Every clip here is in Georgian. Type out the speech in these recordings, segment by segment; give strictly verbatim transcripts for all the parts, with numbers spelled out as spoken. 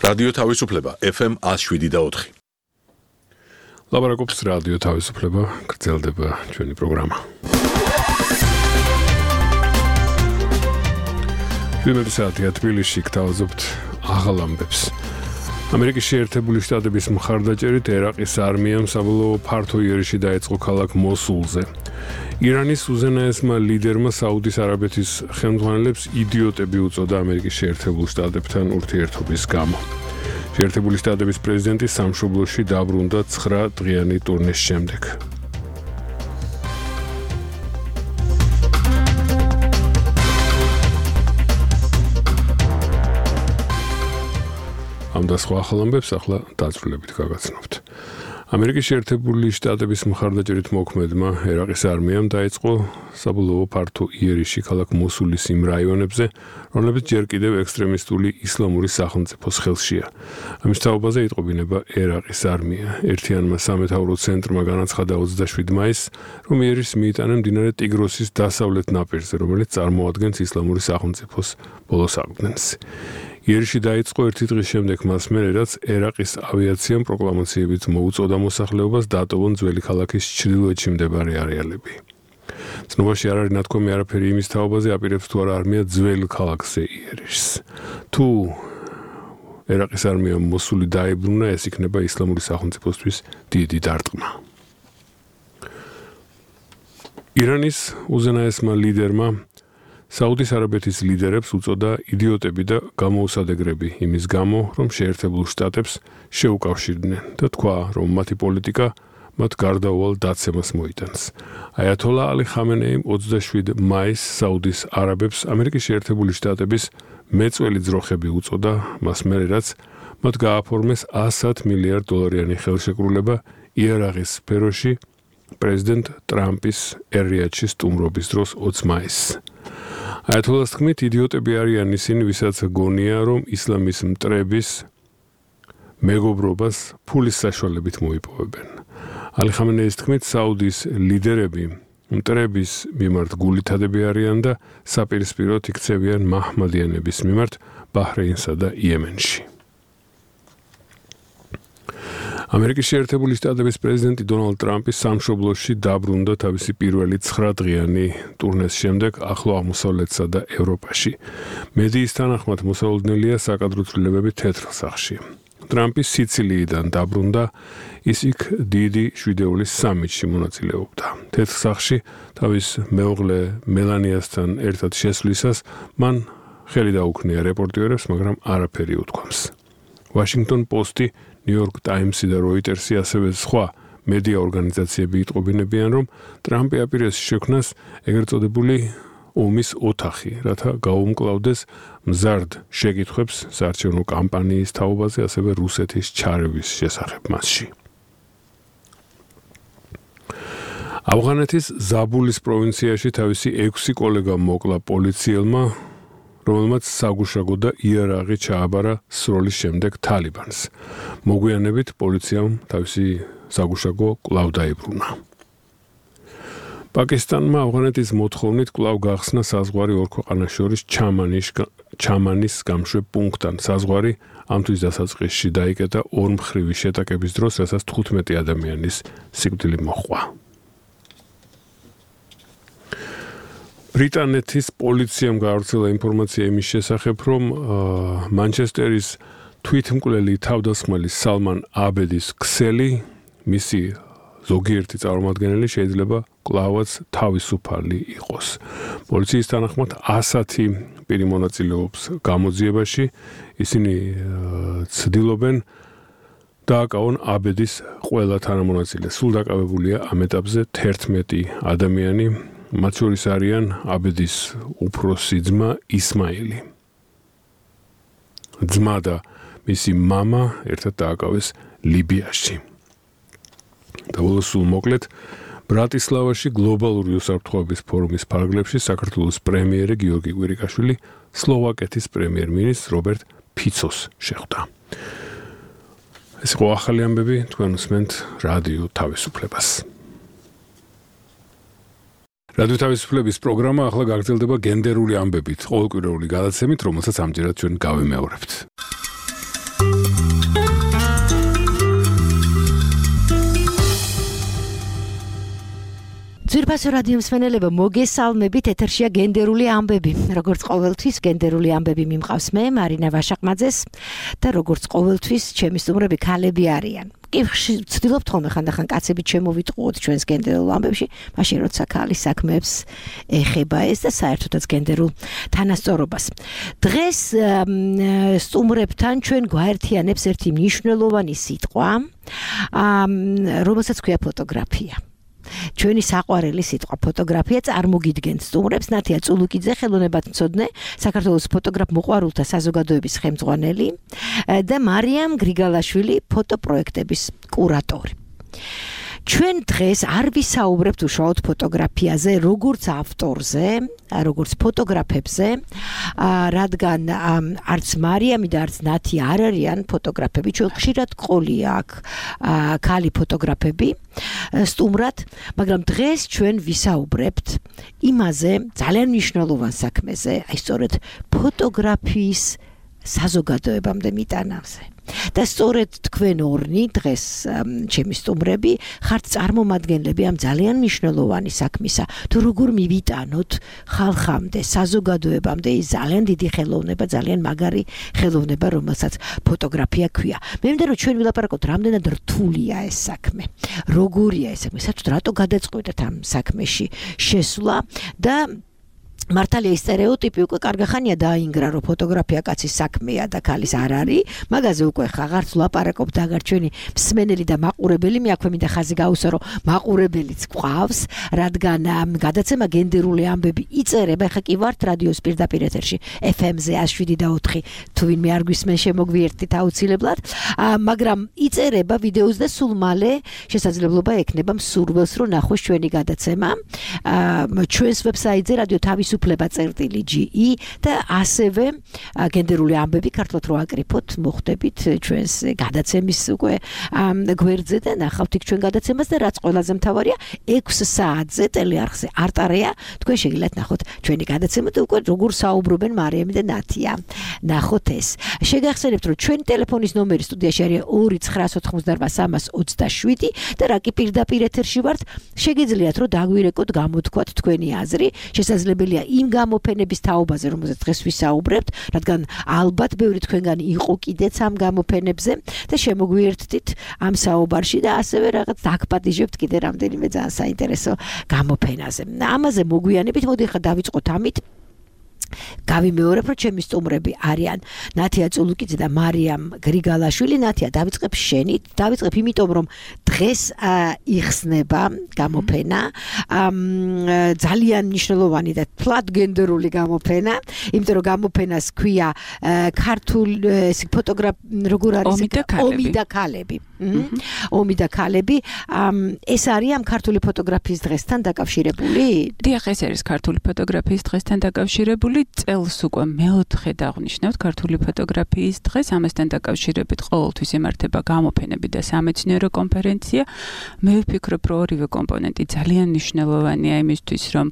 რადიო თავისუფლება ეფ ემ one oh seven და four. ლაბარაკობს რადიო თავისუფლება, გრძელდება ჩვენი პროგრამა. პირველი საათია თბილისში გთავაზობთ აღალ ამბებს. ამერიკის შეერთებული შტატების მხარდაჭერით ერაყის არმიამ საბოლოო ფართო იერიში დაიწყო ქალაქ მოსულზე. ირანის უზენაესმა ლიდერმა საუდის არაბეთის ხელმძღვანელებს იდიოტები უწოდა ამერიკის შეერთებულ შტატებთან ურთიერთობის გამო. შეერთებული შტატების პრეზიდენტი სამშობლოში დაბრუნდა ცხრა დღიანი ტურნეს შემდეგ. ამ და სხვა ახალ ამბებს ახლა დაწვრილებით გაგაცნობთ. ამერიკის შეერთებული შტატების მხარდაჭერით მოქმედმა ერაყის არმიამ დაიწყო საბოლოო ფართო იერიში ქალაქ მოსულის იმ რაიონებზე, რომლებიც ჯერ კიდევ ექსტრემისტული ისლამური სახელმწიფოს ხელშია. ამის თაობაზე იტყობინება ერაყის არმია. ერთიანმა სამეთაურო ცენტრმა განაცხადა ოცდაშვიდი მაისს, რომ იერიშს მიიტანენ მდინარე ტიგროსის დასავლეთ ნაპირზე, რომელიც წარმოადგენს ისლამური სახელმწიფოს ბოლო საგნენს. იერიში დაიწყო ერთი დღის შემდეგ მას მერე, რაც ერაყის ავიაციამ პროკლამაციებით მოუწოდა მოსახლეობას დატოვონ ძველი ქალაქის ჩრდილოეთში მდებარე არეალები. ცნობაში არ არის ნათქვამი არაფერი იმის თაობაზე, აპირებს თუ არა არმია ძველ ქალაქზე იერიშს. თუ ერაყის არმიამ მოსული დაებრუნა, ეს იქნება ისლამური სახელმწიფოსთვის დიდი დარტყმა. ირანის უზენაესმა ლიდერმა საუდის არაბეთის ლიდერებს უწოდა იდიოტები და გამოუსადეგრები იმის გამო, რომ შეერთებულ შტატებს შეუკავშირდნენ და თქვა, რომ მათი პოლიტიკა მათ გარდაუვალ დაცემას მოიტანს. აიათოლა ალი ხამენეიმ ოცდაშვიდი მაისს საუდის არაბებს ამერიკის შეერთებული შტატების მეწველი ძროხები უწოდა, მას მერე რაც მათ გააფორმეს one hundred მილიარდ დოლარიანი ხელშეკრულება იარაღის სფეროში პრეზიდენტ ტრამპის ერიადში სტუმრობის დროს ოცი მაისს. აიათოლას თქმით, იდიოტები არიან ისინი, ვისაც გონია, რომ ისლამის მტრების მეგობრობას ფულის საშუალებით მოიპოვებენ. ალი ხამენეის თქმით, საუდის ლიდერები მტრების მიმართ გულითადები არიან და საპირისპიროდ იქცევიან მაჰმადიანების მიმართ ბაჰრეინსა და იემენში. ამერიკის შეერთებული შტატების პრეზიდენტი დონალდ ტრამპი სამშობლოში დაბრუნდა თავისი პირველი ცხრა დღიანი ტურნეს შემდეგ ახლო აღმოსავლეთსა და ევროპაში. მედიის თანახმად მოსალოდნელია საკადრო ცვლილებები თეთრ სახში. ტრამპი სიცილიიდან დაბრუნდა, ის იქ დიდი შვიდეულის სამიტში მონაწილეობდა. თეთრ სახში თავის მეუღლე მელანიასთან ერთად შესვლისას მან ხელი დაუქნია რეპორტიორებს, მაგრამ არაფერი უთქვამს. Washington Post-ი, New York Times-ი და Reuters-ი ასევე სხვა მედია ორგანიზაციები იტყობინებიან, რომ ტრამპი აპირებს შექმნას ეგრეთ წოდებული ომის ოთახი, რათა გაუმკლავდეს მზარდ შეკითხვებს საარჩევნო კამპანიის თაობაზე, ასევე რუსეთის ჩარევის შესახებ მასში. ავღანეთის ზაბულის პროვინციაში თავისი ექვსი კოლეგა მოკლა პოლიციელმა, რომელმაც საგუშაგო და იარაღი ჩააბარა სროლის შემდეგ თალიბანს. მოგვიანებით პოლიციამ თავისი საგუშაგო კვლავ დაიბრუნა. პაკისტანმა ავღანეთის მოთხოვნით კვლავ გახსნა საზღვარი ორ ქვეყანას შორის ჩამანის გამშვებ პუნქტთან. საზღვარი ამთვის დასაწყისში დაიკეტა ორმხრივი შეტაკების დროს, რასაც თხუთმეტი ადამიანის სიკვდილი მოჰყვა. ბრიტანეთის პოლიციამ გაავრცელა ინფორმაცია იმის შესახებ, რომ მანჩესტერის თვითმკვლელი თავდასხმელი სალმან აბედის ქსელი, მისი ზოგიერთი წარმომადგენელი შეიძლება კვლავაც თავისუფალი იყოს. პოლიციის თანახმად ასათი პირი მონაწილეობს გამოძიებაში, ისინი ცდილობენ დააკავონ აბედის ყველა თანამონაწილე. სულ დაკავებულია ამ ეტაპზე თერთმეტი ადამიანი, მათ შორის არიან აბედის უფროსი ძმა ისმაილი. ძმა და მისი მამა ერთად დააკავეს ლიბიაში. დაბოლოს სულ მოკლედ, ბრატისლავაში გლობალური უსაფრთხოების ფორუმის ფარგლებში საქართველოს პრემიერი გიორგი კვირიკაშვილი სლოვაკეთის პრემიერ-მინისტრ რობერტ ფიცოს შეხვდა. ეს იყო ახალი ამბები, თქვენ უსმენთ რადიო თავისუფლებას. რადიო თავისუფლების პროგრამა ახლა გაგრძელდება გენდერული ამბებით, ყოველკვირეული გადაცემით, რომელსაც ამჯერად ჩვენ გავიმეორებთ. ძვირფასო რადიო მსმენელებო, მოგესალმებით, ეთერშია გენდერული ამბები. როგორც ყოველთვის, გენდერული ამბები მიმყავს მე, მარინა ვაშაყმაძეს და როგორც ყოველთვის, ჩემი სტუმრები ქალები არიან. კი ვცდილობთ ხოლმე ხანდახან კაცებით შემოვიტყუოთ ჩვენს გენდერულ ამბებში, მაშინ როცა ქალის საქმეებს ეხება ეს და საერთოდაც გენდერულ თანასწორობას. დღეს სტუმრებთან ჩვენ გვაერთიანებს ერთი მნიშვნელოვანი სიტყვა, რომელსაც ქვია ფოტოგრაფია. ჩვენი საყვარელი სიტყვა ფოტოგრაფია წარმოგიდგენთ სტუმრებს ნათია წულუკიძე ხელოვნებათმცოდნე საქართველოს ფოტოგრაფ მოყვარულთა საზოგადოების ხელმძღვანელი და მარიამ გრიგალაშვილი ფოტოპროექტების კურატორი. ჩვენ დღეს არ ვისაუბრებთ უშუალოდ ფოტოგრაფიაზე, როგორც ავტორზე, როგორც ფოტოგრაფებზე, რადგან არც მარიამი და არც ნათი არ არიან ფოტოგრაფები, ჩვენ ხშირად ყოლია აქ ქალი ფოტოგრაფები სტუმრად, მაგრამ დღეს ჩვენ ვისაუბრებთ იმაზე, ძალიან მნიშვნელოვან საქმეზე, აი სწორედ ფოტოგრაფიის საზოგადოებამდე მიტანავზე. და სწორედ თქვენ ორნი დღეს ჩემი სტუმრები ხართ წარმომადგენლები ამ ძალიან მნიშვნელოვანი საქმისა. თუ როგორ მივიტანოთ ხალხამდე, საზოგადოებამდე ის ძალიან დიდი ხელოვნება, ძალიან მაგარი ხელოვნება, რომელსაც ფოტოგრაფია ქვია. მე მინდა რომ ჩვენ ვილაპარაკოთ, რამდენად რთულია ეს საქმე. როგორია ეს საქმე? საერთოდ რატო გადაწყვეტეთ ამ საქმეში შესვლა და მართალია სტერეოტიპი უკვე კარგი ხანია დაინგრა, რომ ფოტოგრაფია კაცის საქმეა და ქალის არ არის. მაგაზე უკვე აღარც ვლაპარაკობთ, აგარ ჩვენი მსმენელი და მაყურებელი, მე აქვე მინდა ხაზი გაუსვა, რომ მაყურებელიც გვყავს, რადგან გადაცემა გენდერული ამბები იწერება, ხა კი ვართ რადიოს პირდაპირ ეთერში ეფ ემ-ზე one oh seven და ოთხი, თუ ვინმე არ გვისმენ, შემოგვიერთდით აუცილებლად, მაგრამ იწერება ვიდეოს და სულ მალე შესაძლებლობა ექნება მსურველს, რომ ნახოს ჩვენი გადაცემა ჩვენს ვებსაიტზე რადიო თავის უფლება წერტილი ჯი ი და ასევე გენდერული ამბები ქართულად რო აკრიფოთ, მოხდებით ჩვენს გადაცემის უკვე გვერდზე და ნახავთ იქ ჩვენ გადაცემას და რაც ყველაზე მთავარია, ექვს საათზე ტელეარხზე არტარეა, თქვენ შეგიძლიათ ნახოთ ჩვენი გადაცემა და უკვე როგორ საუბრობენ მარიამი და ნათია. ნახოთ ეს. შეგახსენებთ, რომ ჩვენი ტელეფონის ნომერი სტუდიაში არის ორი ცხრა ოთხმოცდარვა სამას ოცდაშვიდი და რა კი პირდაპირ ეთერში ვართ, შეგიძლიათ რომ დაგვირეკოთ, გამოთქვათ თქვენი აზრი, შესაძლებელია იმ გამოფენების თაობაზე, რომელზეც დღეს ვისაუბრებთ, რადგან ალბათ ბევრი თქვენგანი იყო კიდეც ამ გამოფენებზე და შემოგვიერთდით ამ საუბარში და ასევე რაღაც დაგპატიჟებთ კიდე რამდენიმე ძალიან საინტერესო გამოფენაზე. ამაზე მოგვიანებით, მოდი ხა დავიწყოთ ამით. გავიმეორებ, რომ ჩემი სტუმრები არიან ნათია წულუკიძე და მარიამ გრიგალაშვილი. ნათია, დავიწყებ შენით, დავიწყებ იმიტომ, რომ დღეს იხსნება გამოფენა, ძალიან მნიშვნელოვანი და თლად გენდერული გამოფენა, იმიტომ რომ გამოფენას ქვია ქართულ ფოტოგრაფ როგორ არის ომი და ქალები. ომი და ქალები. ეს არის ამ ქართული ფოტოგრაფიის დღესთან დაკავშირებული? დიახ, ეს არის ქართული ფოტოგრაფიის დღესთან დაკავშირებული. წელს უკვე მეოთხე დაღვნიშნავთ ქართული ფოტოგრაფიის დღეს, ამასთან დაკავშირებით ყოველთვის იმართება გამოფენები და სამეცნიერო კონფერენცია. მე ვფიქრობ, რომ ორივე კომპონენტი ძალიან მნიშვნელოვანია იმისთვის, რომ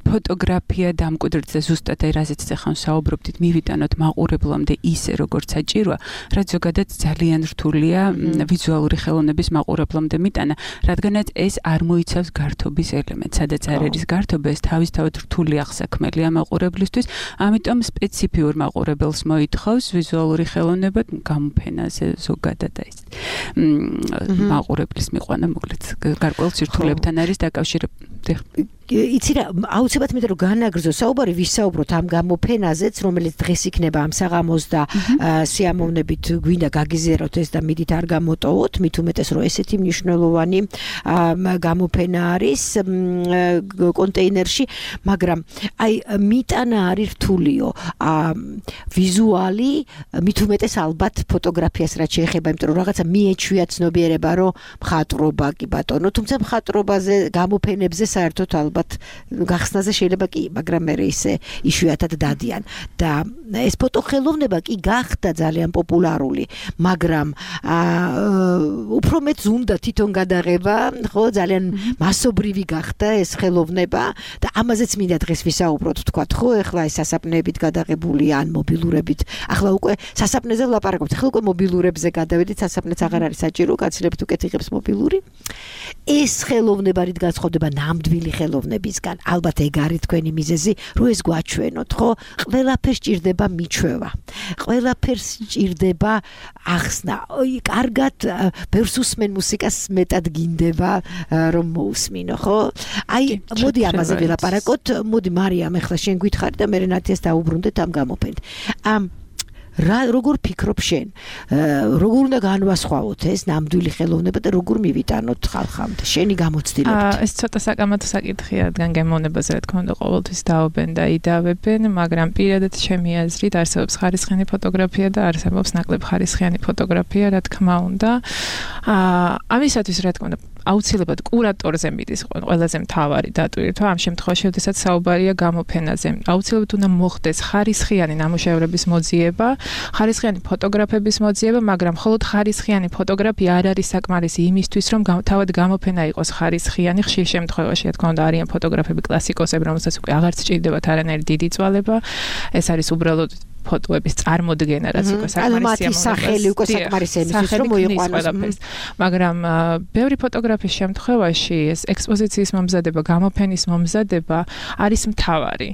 ფოტოგრაფია დამკვიდრდეს ზუსტად აი რაზეც ახლა საუბრობდით, მივიტანოთ მაყურებლამდე ისე, როგორც საჭიროა, რაც ზოგადად ძალიან რთულია ვიზუალური ხელოვნების მაყურებლამდე მიტანა, რადგანაც ეს არ მოიცავს გართობის ელემენტს, სადაც არ არის გართობა, ეს თავისთავად რთული აღსაქმელია მაყურებლისთვის, ამიტომ სპეციფიურ მაყურებელს მოითხოვს ვიზუალური ხელოვნება გამოფენაზე ზოგადად ეს მაყურებლის მიყვანა მოკლედ გარკვეულ სირთულეებთან არის დაკავშირებული. იცი რა, აუცილებლად მინდა რომ განაგრძო საუბარი, ვისაუბროთ ამ გამოფენაზეც, რომელიც დღეს იქნება ამ საღამოს და სიამოვნებით გვინდა გაგიზიაროთ ეს და მიდით არ გამოტოვოთ, მით უმეტეს რომ ესეთი მნიშვნელოვანი გამოფენა არის კონტეინერში, მაგრამ აი მიტანა არის რთულიო. ვიზუალი, მით უმეტეს ალბათ ფოტოგრაფიას რაც შეეხება, იმიტომ რომ რაღაცა მიეჩვია ცნობიერება, რომ მხატვრობა კი ბატონო, თუმცა მხატვრობაზე, გამოფენებზე საერთოდ ალბათ გახსნაზე შეიძლება კი, მაგრამ მე ისე იშვიათად დადიან და ეს ფოტოხელოვნება კი გახდა ძალიან პოპულარული, მაგრამ უფრო მეც უნდა თვითონ გადაღება, ხო, ძალიან მასობრივი გახდა ეს ხელოვნება და ამაზეც მინდა დღეს ვისაუბროთ, თქვათ, ხო, ეხლა ეს სასაფნეებით გადაღებული ან მობილურებით. ახლა უკვე სასაფნეზე ვლაპარაკობთ, ახლა უკვე მობილურებზე გადავედით, სასაფნე ქვეყნაც აღარ არის საჭირო, გაცილებით უკეთ იღებს მობილური. ეს ხელოვნება რით განსხვავდება ნამდვილი ხელოვნებისგან? ალბათ ეგ არის თქვენი მიზეზი, რომ ეს გვაჩვენოთ, ხო? ყველაფერს ჭირდება მიჩვევა. ყველაფერს ჭირდება ახსნა. კარგად ბევრს უსმენ მუსიკას, მეტად გინდება რომ მოусმინო, ხო? აი, მოდი ამაზე ვილაპარაკოთ. მოდი მარიამ, ახლა შენ გითხარი და მე ნათიას დაუბრუნდეთ ამ გამოფენით. ამ რა როგორ ფიქრობ შენ? როგორ უნდა განვასხვაოთ ეს ნამდვილი ხელოვნება და როგორ მივიტანოთ ხალხამდე? შენი გამოცდილებით. ეს ცოტა საკამათო საკითხია, რადგან გემოვნებაზე რა თქმა უნდა ყოველთვის დაობენ და იდავებენ, მაგრამ პირადად ჩემი აზრით არსებობს ხარისხიანი ფოტოგრაფია და არსებობს ნაკლებ ხარისხიანი ფოტოგრაფია, რა თქმა უნდა. ამისათვის რა თქმა უნდა აუცილებლად კურატორზე მიდის ყველაზე მთავარი დატვირთვა ამ შემთხვევაში, როდესაც საუბარია გამოფენაზე. აუცილებლად უნდა მოხდეს ხარისხიანი ნამუშევრების მოძიება, ხარისხიანი ფოტოგრაფების მოძიება, მაგრამ მხოლოდ ხარისხიანი ფოტოგრაფია არ არის საკმარისი იმისთვის, რომ თავად გამოფენა იყოს ხარისხიანი. ხშირ შემთხვევაში, რა თქმა უნდა, არიან ფოტოგრაფები კლასიკოსები, რომელსაც უკვე აღარ სჭირდებათ არანაირი დიდი წვალება. ეს არის უბრალოდ ფოტოების წარმოდგენა, რაც უკვე საკმარისია. ანუ სახელი უკვე საკმარისია იმისთვის, რომ მოიყვანოს. მაგრამ ბევრი ფოტოგრაფის შემთხვევაში ეს ექსპოზიციის მომზადება, გამოფენის მომზადება არის მთავარი.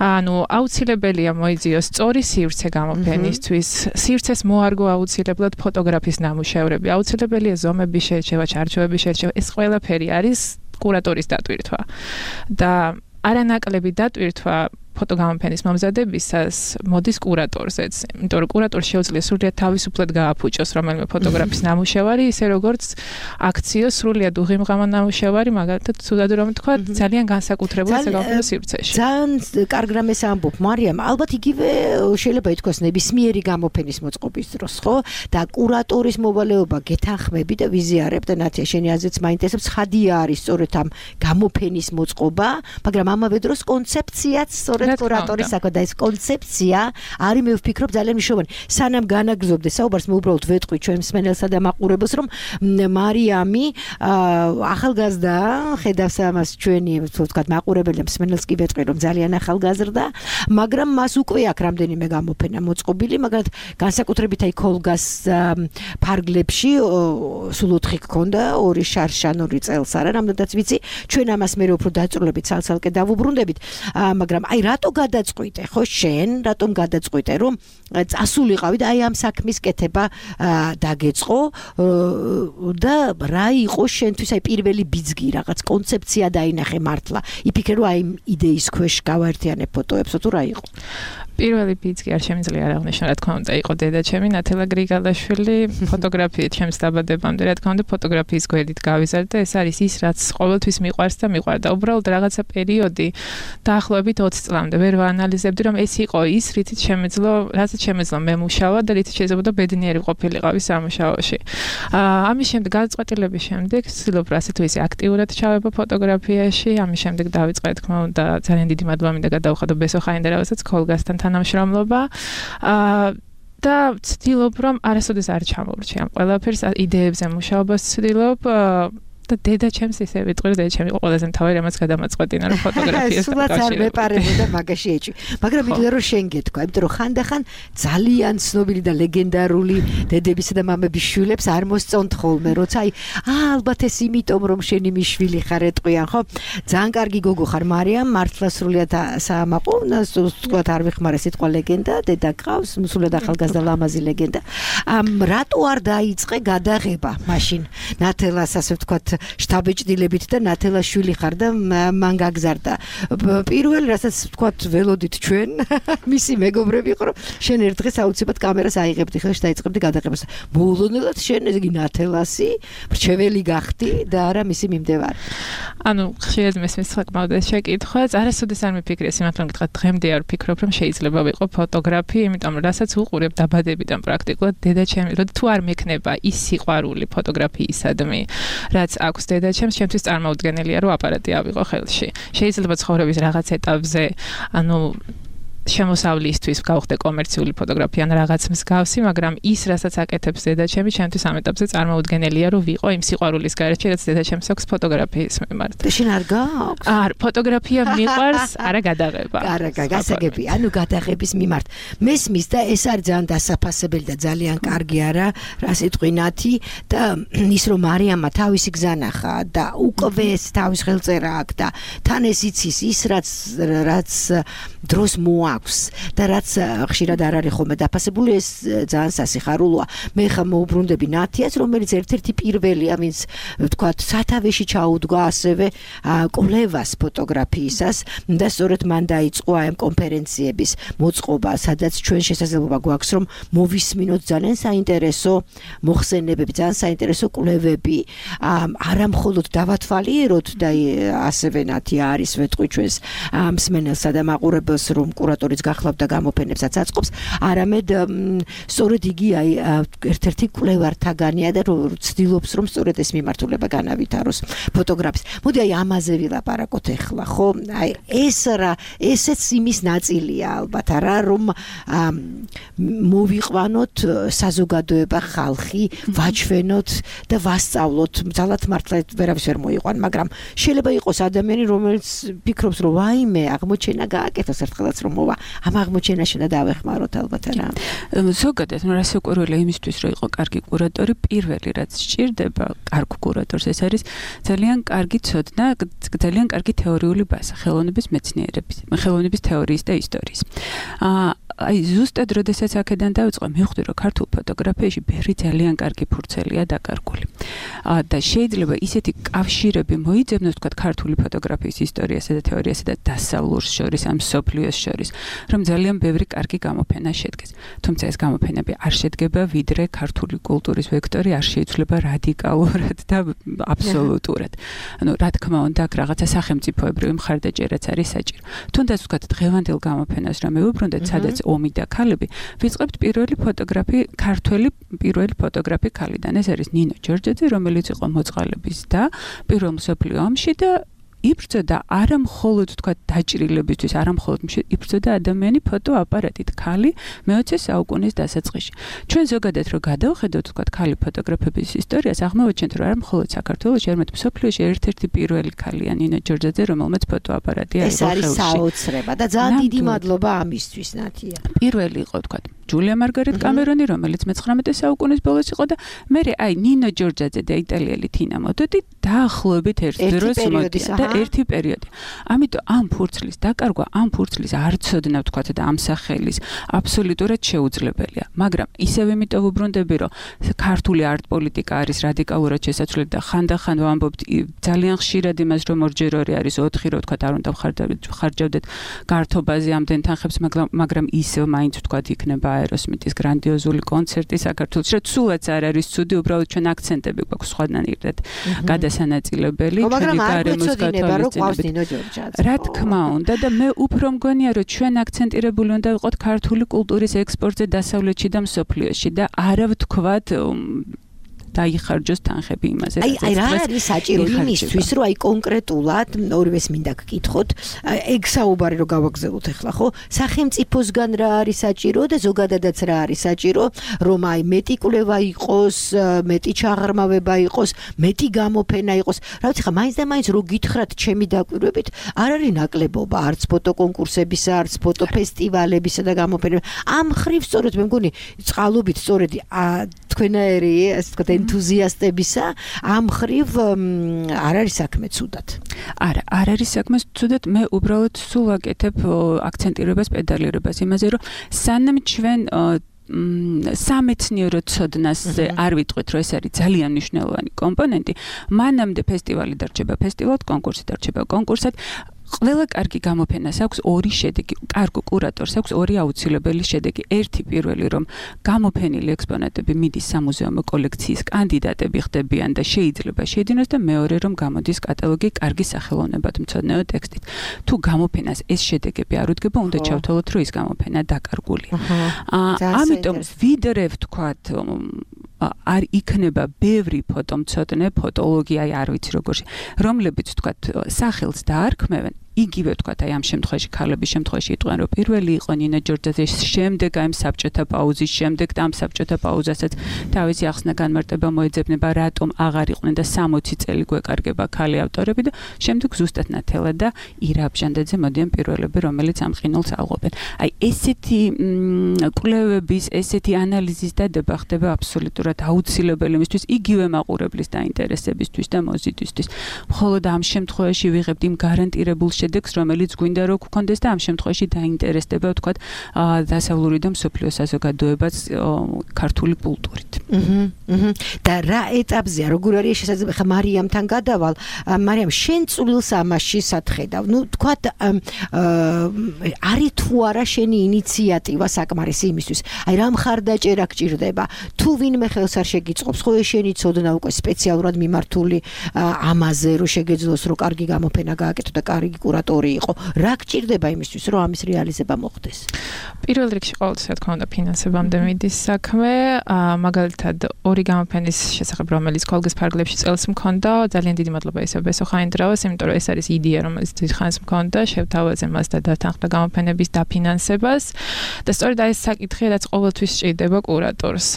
ანუ აუცილებელია მოიძიოს სწორი სივრცე გამოფენისთვის, სივრცეს მოარგო აუცილებლად ფოტოგრაფის ნამუშევრები, აუცილებელია ზომების შერჩევა, ჩარჩოების შერჩევა, ეს ყველაფერი არის კურატორის დატვირთვა. და არანაკლები დატვირთვა ფოტოგამოფენის მომზადებისას მოდის კურატორზეც, იმიტომ რომ კურატორს შეუძლია სრულიად თავისუფლად გააფუჭოს რომელიმე ფოტოგრაფის ნამუშევარი, ისე როგორც აქციოს სრულიად უღიმღამა ნამუშევარი, მაგალითად, თუდად რომ თქვა, ძალიან განსაკუთრებულ საგამოფენო სივრცეში. ძალიან კარგ რამეს ამბობ, მარიამ, ალბათ იგივე შეიძლება ითქვას ნებისმიერი გამოფენის მოწყობის დროს, ხო? და კურატორის მოვალეობა გეთანხმები და ვიზიარებ და ნათია, შენი აზრიც მაინტერესებს, ხადია არის სწორედ ამ გამოფენის მოწყობა, მაგრამ ამავე დროს კონცეფციაც სწორედ კურატორის საქმე და ეს კონცეფცია არის მე ვფიქრობ ძალიან მნიშვნელოვანი. სანამ განაგრძობდე საუბარს, მე უბრალოდ ვეტყვი ჩვენ მსმენელსა და მაყურებელს, რომ მარიამი ახალგაზრდა, ხედავს ამას ჩვენი, ვთქვათ, მაყურებელი და მსმენელს კი ვეტყვი, რომ ძალიან ახალგაზრდა, მაგრამ მას უკვე აქვს რამდენიმე გამოფენა მოწყობილი, მაგრამ განსაკუთრებით აი ქოლგას ფარგლებში სულ ოთხი გქონდა, ორი შარშან, ორი წელს არა, რამდენადაც ვიცი, ჩვენ ამას მე უფრო დაწვრილებით ცალ-ცალკე დავუბრუნდებით, მაგრამ აი რატო გადაწყვიტე, ხო შენ, რატომ გადაწყვიტე, რომ წასულიყავი და აი ამ საქმის კეთება დაგეწყო და რა იყო შენთვის აი პირველი ბიძგი, რაღაც კონცეფცია დაინახე მართლა. იფიქრე რომ აი იდეის ქვეშ გავაერთიანებ ფოტოებსო თუ რა იყო? პირველი ბიძგი არ შემიძლია არ აღნიშნო, რა თქმა უნდა, იყო დედა ჩემი ნათელა გრიგალაშვილი, ფოტოგრაფიით ჩემს დაბადებამდე, რა თქმა უნდა, ფოტოგრაფიის გვერდით გავიზარდა, ეს არის ის, რაც ყოველთვის მიყვარს და მიყვარდა. უბრალოდ რაღაცა პერიოდი დაახლოებით ოცი წლამდე ვერ ვაანალიზებდი, რომ ეს იყო ის, რითიც შემეძლო, რასაც შემეძლო მე მუშავა და რითიც შეიძლება ბედნიერი ყოფილიყავი სამუშაოში. ამის შემდეგ გადაწყვეტილების შემდეგ ვცდილობ ასე თუ ისე აქტიურად ჩავება ფოტოგრაფიაში, ამის შემდეგ დავიწყე, თქმა უნდა, ძალიან დიდი მადლობა მინდა გადავხადო ბესო ხაინდერავასაც ქოლგასთან თანამშრომლობა. და ვცდილობ, რომ არასოდეს არ ჩამოვრჩი ამ ყველაფერს, იდეებზე მუშაობას ვცდილობ. და დედა ჩემს ისე ვიტყვი, დედა ჩემი იყო ყველაზე მთავარი, რამაც გადამაწყვეტინა, რომ ფოტოგრაფიასთან სულაც არ მეპარებოდა მაგაში ეჭვი. მაგრამ მინდა რომ შენ გეთქვა, იმიტომ რომ ხანდახან ძალიან ცნობილი და ლეგენდარული დედებისა და მამების შვილებს არ მოსწონთ ხოლმე, როცა აი ალბათ ეს იმიტომ რომ შენი მიშვილი ხარ ეტყვიან, ხო? ძალიან კარგი გოგო ხარ, მარიამ, მართლა სრულიად საამაყო, თქვა არ ვიხმარე სიტყვა ლეგენდა, დედა გყავს, სულად ახალგაზრდა ლამაზი ლეგენდა. რატო არ დაიწყე გადაღება მაშინ? ნათელას ასე ვთქვათ შტაბეჭდილებით და ნათელა შვილი ხარ და მან გაგზარდა. პირველ რასაც ვთქვათ ველოდით ჩვენ, მისი მეგობრები იყო, რომ შენ ერთ დღეს აუცილებლად კამერას აიღებდი ხელში და დაიწყებდი გადაღებას. მოულოდნელად შენ იგი ნათელასი, მრჩეველი გახდი და არა მისი მიმდევარი. ანუ ხშირად მესმის საკმაოდ ეს შეკითხვა, არასოდეს არ მიფიქრე, სიმართლე მითხრათ, დღემდე არ ვფიქრობ, რომ შეიძლება ვიყო ფოტოგრაფი, იმიტომ რომ რასაც უყურებ დაბადებიდან პრაქტიკულად დედა ჩემი, რომ თუ არ მექნება ის სიყვარული ფოტოგრაფიისადმი, რაც აქვს დედა ჩემს, ჩემთვის წარმოუდგენელია, რომ აპარატი ავიღო ხელში. შეიძლება ცხოვრების რაღაც ეტაპზე, ანუ შემოსავლისთვის გავხდე კომერციული ფოტოგრაფია ან რაღაც მსგავსი, მაგრამ ის, რასაც აკეთებს დედაჩემი, ჩემთვის ამ ეტაპზე წარმოუდგენელია, რომ ვიყო იმ სიყვარულის გარეშე, რაც დედაჩემს აქვს ფოტოგრაფიის მიმართ. და შენ არ გააქვს? არ, ფოტოგრაფია მიყვარს, არა გადაღება. არა, გასაგები, ანუ გადაღების მიმართ. მესმის და ეს არის ძალიან დასაფასებელი და ძალიან კარგი არა, რა სიტყვინათი და ის რომ მარიამმა თავისი გზა ნახა და უკვე ეს თავის ხელწერა აქვს და თან ეს იცის ის რაც რაც დროს მოაქვს და რაც ხშირად არ არის ხოლმე დაფასებული, ეს ძალიან სასიხარულოა. მე ხა მოუბრუნდები ნათიას, რომელიც ერთ-ერთი პირველია, ვინც ვთქვათ, სათავეში ჩაუდგა ასევე კვლევას ფოტოგრაფიისას და სწორედ მან დაიწყო ამ კონფერენციების მოწყობა, სადაც ჩვენ შესაძლებლობა გვაქვს რომ მოვისმინოთ ძალიან საინტერესო მოხსენებები, ძალიან საინტერესო კვლევები, არა მხოლოდ დავათვალიეროთ და ასევე ნათია არის ვეთყვი ჩვენს მსმენელსა და მაყურებელს, რომ კურატორიც გახლავთ და გამოფენებსაც აწყობს, არამედ სწორედ იგი აი ერთ-ერთი კვლევართაგანია და ცდილობს რომ სწორედ ეს მიმართულება განავითაროს ფოტოგრაფის. მოდი აი ამაზე ვილაპარაკოთ ახლა, ხო? აი ეს რა, ესეც იმის ნაწილია ალბათ, არა რომ მოვიყვანოთ საზოგადოება, ხალხი, ვაჩვენოთ და ვასწავლოთ. ძალად მართლა ვერავის ვერ მოიყვან, მაგრამ შეიძლება იყოს ადამიანი, რომელიც ფიქრობს, რომ ვაიმე, აღმოჩენა გააკეთოს ერთხელაც რომ მოვა. ამ აღმოჩენაში და დავეხმაროთ ალბათ რა. ზოგადად, რა საკვირველია იმისთვის, რომ იყო კარგი კურატორი, პირველი რაც სჭირდება კარგ კურატორს, ეს არის ძალიან კარგი ცოდნა, ძალიან კარგი თეორიული ბაზა, ხელოვნების მეცნიერების, ხელოვნების თეორიის და ისტორიის. აა აი ზუსტად როდესაც აქედან დავიწყე, მივხვდი რომ ქართულ ფოტოგრაფიაში ბევრი ძალიან კარგი ფურცელია დაკარგული. აა და შეიძლება ისეთი კავშირები მოიძებნოს, თქვა ქართული ფოტოგრაფიის ისტორიასა და თეორიასა და დასავლურს შორის, ამ სოფლიოს შორის, რომ ძალიან ბევრი კარგი გამოფენა შედგეს. თუმცა ეს გამოფენები არ შედგება ვიდრე ქართული კულტურის ვექტორი არ შეიცვლება რადიკალურად და აბსოლუტურად. ანუ რა თქმა უნდა, აქ რაღაცა სახელმწიფოებრივი მხარდაჭერაც არის საჭირო. თუნდაც ვთქვათ, დღევანდელ გამოფენას რა მივუბრუნდეთ, სადაც ომი და ქალები, ვიწყებთ პირველი ფოტოგრაფი, ქართველი პირველი ფოტოგრაფი ქალიდან. ეს არის ნინო ჯორჯაძე, რომელიც იყო მოწყალების და პირველ მსოფლიო ომში და იბრძოდა არა მხოლოდ თქვა დაჭრილებისთვის, არა მხოლოდ იბრძოდა ადამიანი ფოტოაპარატით, ქალი მეოცე საუკუნის დასაწყისში. ჩვენ ზოგადად რო გადავხედოთ თქვა ქალი ფოტოგრაფების ისტორიას, აღმოვაჩენთ რომ არა მხოლოდ საქართველოში, არამედ მსოფლიოში ერთ-ერთი პირველი ქალია ნინო ჯორჯაძე, რომელმაც ფოტოაპარატი აიღო ხელში. ეს არის საოცრება და ძალიან დიდი მადლობა ამისთვის, ნათია. პირველი იყო თქვა ჯულია მარგარეტ კამერონი, რომელიც მეცხრამეტე საუკუნის ბოლოს იყო და მე აი ნინო ჯორჯაძე და იტალიელი თინა მოდოდი დაახლოებით ერთ დროს მოდიან და ერთი პერიოდი. ამიტომ ამ ფურცლის დაკარგვა, ამ ფურცლის არ ცოდნა ვთქვათ და ამ სახელის აბსოლუტურად შეუძლებელია. მაგრამ ისევ იმიტომ ვუბრუნდები, რომ ქართული არტ-პოლიტიკა არის რადიკალურად შესაძლებელი და ხანდახან ვამბობთ ძალიან ხშირად იმას, რომ ორჯერ ორი არის ოთხი, რომ ვთქვათ არ უნდა ხარჯავდეთ გართობაზე ამდენ თანხებს, მაგრამ ისევ მაინც ვთქვათ იქნება აეროსმითის გრანდიოზული კონცერტი საქართველოში, რომ სულაც არ არის ცუდი, უბრალოდ ჩვენ აქცენტები გვაქვს სხვანაირად გადასანაწილებელი, ჩვენი გარემოს გათვალისწინებით. რა თქმა უნდა და მე უფრო მგონია, რომ ჩვენ აქცენტირებული უნდა ვიყოთ ქართული კულტურის ექსპორტზე დასავლეთში და მსოფლიოში და არა ვთქვათ დაიხარჯოს თანხები იმაზე. აი, აი რა არის საჭირო იმისთვის, რომ აი კონკრეტულად ორივეს მინდა გკითხოთ, ეგ საუბარი რომ გავაგზავნოთ ახლა, ხო? სახელმწიფოსგან რა არის საჭირო და ზოგადადაც რა არის საჭირო, რომ აი მეტი კვლევა იყოს, მეტი ჩაღრმავება იყოს, მეტი გამოფენა იყოს. რა ვიცი ხა, მაინც და მაინც რო გითხრათ ჩემი დაკვირვებით, არ არის ნაკლებობა არც ფოტოკონკურსებისა, არც ფოტოფესტივალებისა და გამოფენებისა. ამ ხრივ სწორედ მე მგონი წყალობით სწორედ თქვენაერი ასე ვთქვათ ენთუზიასტებისა ამ ხრივ არ არის საქმე ცუდად. არა, არ არის საქმე ცუდად, მე უბრალოდ სულ ვაკეთებ აქცენტირებას, პედალირებას იმაზე, რომ სანამ ჩვენ სამეცნიერო ცოდნაზე არ ვიტყვით, რომ ეს არის ძალიან მნიშვნელოვანი კომპონენტი, მანამდე ფესტივალი დარჩება ფესტივალად, კონკურსი დარჩება კონკურსად. ყველა კარგი გამოფენას აქვს ორი შედეგი, კარგ კურატორს აქვს ორი აუცილებელი შედეგი. ერთი პირველი, რომ გამოფენილი ექსპონატები მიდის სამუზეუმო კოლექციის კანდიდატები ხდებიან და შეიძლება შეიძინოს და მეორე, რომ გამოდის კატალოგი კარგი სახელოვნებათმცოდნეო ტექსტით. თუ გამოფენას ეს შედეგები არ უდგება, უნდა ჩავთვალოთ, რომ ის გამოფენა დაკარგულია. ამიტომ ვიდრე ვთქვათ არ იქნება ბევრი ფოტომცოდნე, ფოტოლოგია, არ ვიცი როგორი, რომლებიც ვთქვათ სახელს დაარქმევენ, იგივე ვთქვათ, აი ამ შემთხვევაში ქალების შემთხვევაში იტყვიან, რომ პირველი იყო ნინა ჯორჯაძე, შემდეგ აი საბჭოთა პაუზის შემდეგ და ამ საბჭოთა პაუზასაც თავისი ახსნა განმარტება მოეძებნება, რატომ აღარ იყვნენ და სამოცი წელი გვეკარგება ქალი ავტორები და შემდეგ ზუსტად ნათელა და ირა აბჟანდაძე მოდიან პირველები, რომელიც ამ ყინულს ალღობენ. აი ესეთი კვლევების, ესეთი ანალიზის დადება ხდება აბსოლუტურად აუცილებელი იმისთვის, იგივე მაყურებლის დაინტერესებისთვის და მოზიდვისთვის. მხოლოდ ამ შემთხვევაში ვიღებთ იმ გარანტირებულ შედეგს, რომელიც გვინდა რომ გქონდეს და ამ შემთხვევაში დაინტერესდება, ვთქვათ, დასავლური და მსოფლიო საზოგადოებაც ქართული კულტურით. აჰა. და რა ეტაპზეა, როგორ არის შესაძლებელი? ხა მარიამთან გადავალ. მარიამ, შენ წვლილს ამაში სათხედავ. ნუ თქვათ, არის თუ არა შენი ინიციატივა საკმარისი იმისთვის. აი რა მხარდაჭერა გჭირდება? თუ ვინმე ხელს არ შეგიწყობს, ხო შენი ცოდნა უკვე სპეციალურად მიმართული ამაზე, რომ შეგეძლოს, რომ კარგი გამოფენა გააკეთო და კარგი კურატორი იყო. რა გჭირდება იმისთვის, რომ ამის რეალიზება მოხდეს? პირველ რიგში ყოველთვის რა თქმა უნდა ფინანსებამდე მიდის საქმე, მაგალითად ორი გამოფენის შესახებ, რომელიც კოლგის ფარგლებში წელს მქონდა, ძალიან დიდი მადლობა ისევ ბესო ხაინდრავას, იმიტომ რომ ეს არის იდეა, რომელიც დიდხანს მქონდა, შევთავაზე მას და დათანხმდა გამოფენების დაფინანსებას და სწორედ ეს საკითხი, რაც ყოველთვის სჭირდება კურატორს.